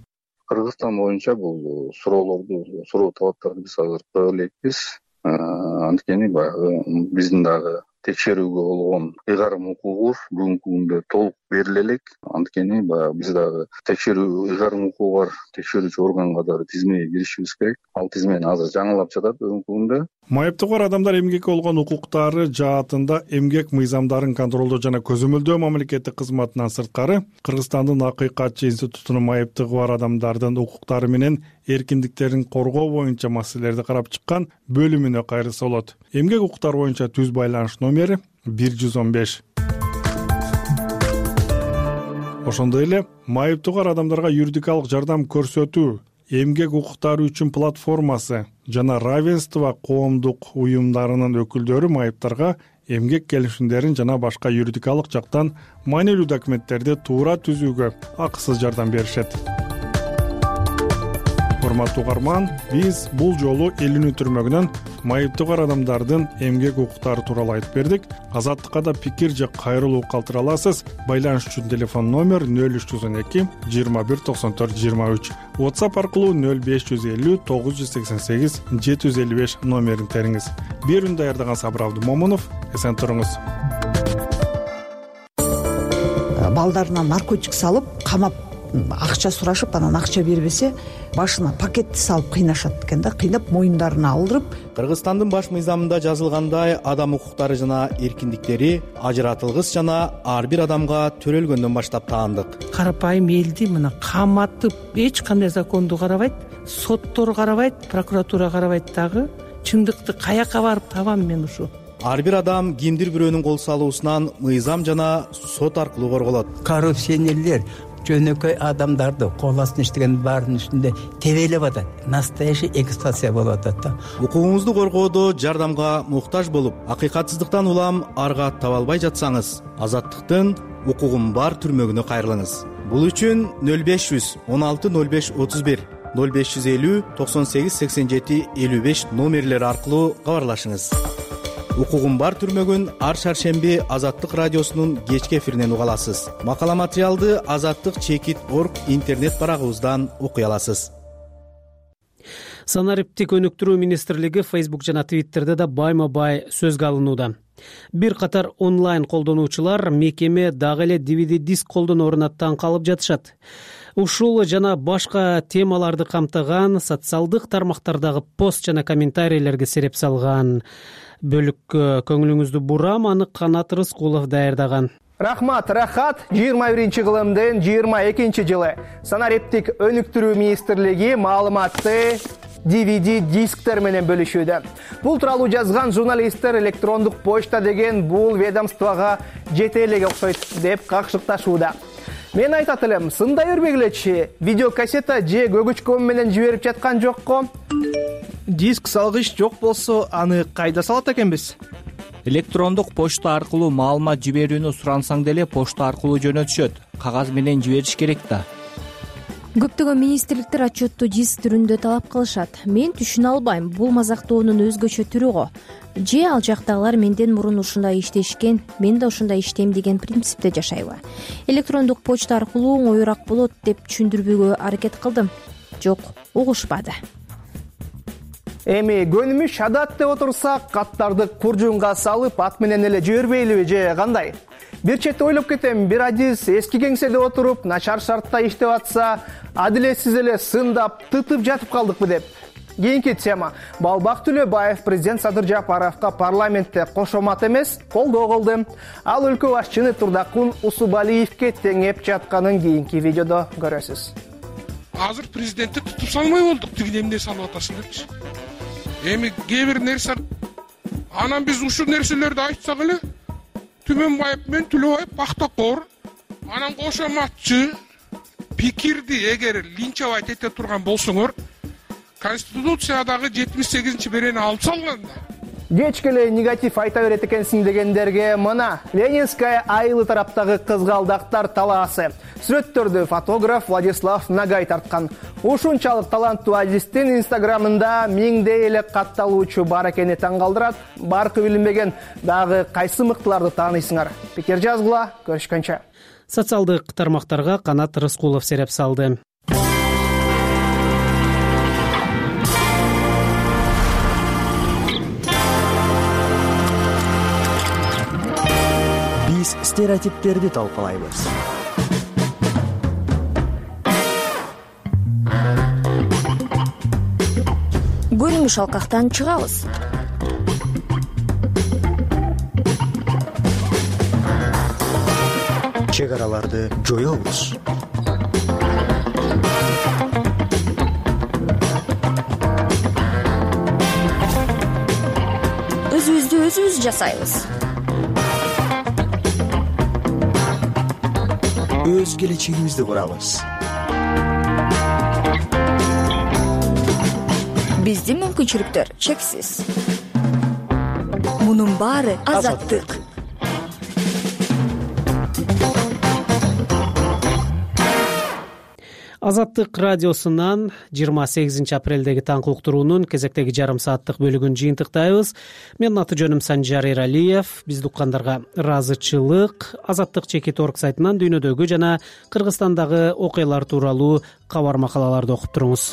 Кыргызстан боюнча бул суроо талаптарды биз азыр кое элекпиз. Анткени баягы биздин дагы текшерүүгө болгон ыйгарым укугубуз бүгүнкү күндө толук бериле элек. Анткени баягы биз дагы текшерүү ыйгарым укугу бар текшерүүчү органга дагы тизмеге киришибиз керек. Ал тизмени азыр жаңылап жатат бүгүнкү күндө. Майыптыгы бар адамдар эмгекке болгон укуктары жаатында эмгек мыйзамдарын контролдоо жана көзөмөлдөө мамлекеттик кызматынан сырткары Кыргызстандын Акыйкатчы институтунун майыптыгы бар адамдардын укуктары менен эркиндиктерин коргоо боюнча маселелерди карап чыккан бөлүмүнө кайрылса болот. Эмгек укуктары боюнча түз байланыш номери 115. Ошондой эле майыптыгы бар адамдарга юридикалык жардам көрсөтүү эмгек укуктары үчүн платформасы жана равенство коомдук уюмдарынын өкүлдөрү майыптарга эмгек келишимдерин жана башка юридикалык жактан маанилүү документтерди туура түзүүгө акысыз жардам беришет. Урматтуу угарман, биз бул жолу Элүүнүн түрмөгүнөн майыптыгы бар адамдардын эмгек укуктары тууралуу айтып бердик. Азаттыкка да пикир же кайрылуу калтыра аласыз. Байланыш үчүн телефон номер 0312 21 94 23. WhatsApp аркылуу 0550 988 755 номерин териңиз. Берүүнү даярдаган Сабыр Абдымомунов, эсен туруңуз. Балдарына наркотик салып, камап акча сурашып анан акча бербесе башына пакетти салып кыйнашат экен да, кыйнап моюндарына алдырып. Кыргызстандын баш мыйзамында жазылгандай адам укуктары жана эркиндиктери ажыратылгыс жана ар бир адамга төрөлгөндөн баштап таандык. Карапайым элди мына каматып эч кандай законду карабайт, соттор карабайт, прокуратура карабайт дагы. Чындыкты каяка барып табам мен ушу? Ар бир адам кимдир бирөөнүн кол салуусунан мыйзам жана сот аркылуу корголот. Коррупционерлер жөнөкөй адамдарды кол астына иштеген баарынын үстүндө тебелеп атат. Настоящий эксплуатация болуп атат да. Укугуңузду коргоодо жардамга муктаж болуп, акыйкатсыздыктан улам арга таба албай жатсаңыз, Азаттыктын укугум бар түрмөгүнө кайрылыңыз. Бул үчүн 0500 16 05 31 0550 98 87 55 номерлери аркылуу кабарлашыңыз. Укугум бар түрмөгүн ар шаршемби Азаттык радиосунун кечки эфиринен уга аласыз. Макала материалды azattik.org интернет барагыбыздан окуй аласыз. Санариптик өнүктүрүү министрлиги Facebook жана Twitterде да байма-бай сөзгө алынууда. Бир катар онлайн колдонуучулар мекеме дагы эле DVD диск колдонооруна таң калып жатышат. Ушул жана башка темаларды камтыган социалдык тармактардагы пост жана комментарийлерге сереп салган бөлүккө көңүлүңүздү бурам, аны Канат Рыскулов даярдаган. Рахмат, рахат. 21-кылымдын 22-жылы Санариптик өнүктүрүү министрлиги маалыматты DVD дисктер менен бөлүшүүдө. Бул тууралуу жазган журналисттер электрондук почта деген бул ведомствого жете элеге окшойт деп какшыкташууда. Мен айтат элем, сындай бербегилечи, видеокассета же көгүчкөн менен жиберип жаткан жокко? Диск салгыч жок болсо, аны кайда салат экенбиз? Электрондук почта аркылуу маалымат жиберүүнү сурансаң деле почта аркылуу жөнөтүшөт. Кагаз менен жибериш керек да. Көптөгөн министрликтер отчетту диск түрүндө талап кылышат. Мен түшүнө албайм, бул мазактоонун өзгөчө түрү го. Же ал жактагылар менден мурун ушундай иштешкен, мен да ушундай иштейм деген принципте жашайбы? Электрондук почта аркылуу оңоюраак болот деп түшүндүрүүгө аракет кылдым. Жок, угушпады. Эми көнүмүш адат деп отурсак, каттарды куржунга салып ат менен эле жибербейлиби же кандай? Бир четте ойлоп кетем, бир адис эски кеңседе отуруп, начар шартта иштеп атса, адилетсиз эле сындап, тытып жатып калдыкпы деп. Кийинки тема. Балбак Төлөбаев президент Садыр Жапаровго парламентте кошомат эмес, колдоо кылды. Ал өлкө башчыны Турдакун Усубалиевге теңеп жатканын кийинки видеодо көрөсүз. Азыр президентти тутуп салмай болдук, тиги эмне салып атасың депчи. Эми кээ бир нерсе, анан биз ушул нерселерди айтсак эле, Түмөнбаев менен Төлөбаев пактакор, анан кошоматчы пикирди эгер линчевать эте турган болсоңор, Конституциядагы 78-берени алып салган. Кечкеле негатив айта берет экенсиң дегендерге мына Ленинская айылы тараптагы кызгалдактар талаасы. Сүрөттөрдү фотограф Владислав Нагай тарткан. Ушунчалык таланттуу адистин инстаграмында миңдей эле катталуучу бар экени таң калтырат. Баркы билинбеген дагы кайсы мыктыларды тааныйсыңар? Пикир жазгыла, көрүшкөнчө. Социалдык тармактарга Канат Рыскулов сереп салды. Биз стереотиптерди талкалайбыз. Көрүнүш алкактан чыгабыз. Чек араларды жоёбуз. Өзүбүздү өзүбүз жасайбыз. Өз келечегибизди курабыз. Биздин мүмкүнчүлүктөр чексиз. Мунун баары азаттык. Азаттык радиосунан 28 апрелдеги таңкы уктуруунун кезектеги жарым сааттык бөлүгүн жыйынтыктайбыз. Менин аты жөнүм Санжар Эралиев. Бизди уккандарга ыраазычылык. Azattik.org сайтынан дүйнөдөгү жана Кыргызстандагы окуялар тууралуу кабар макалаларды окуп туруңуз.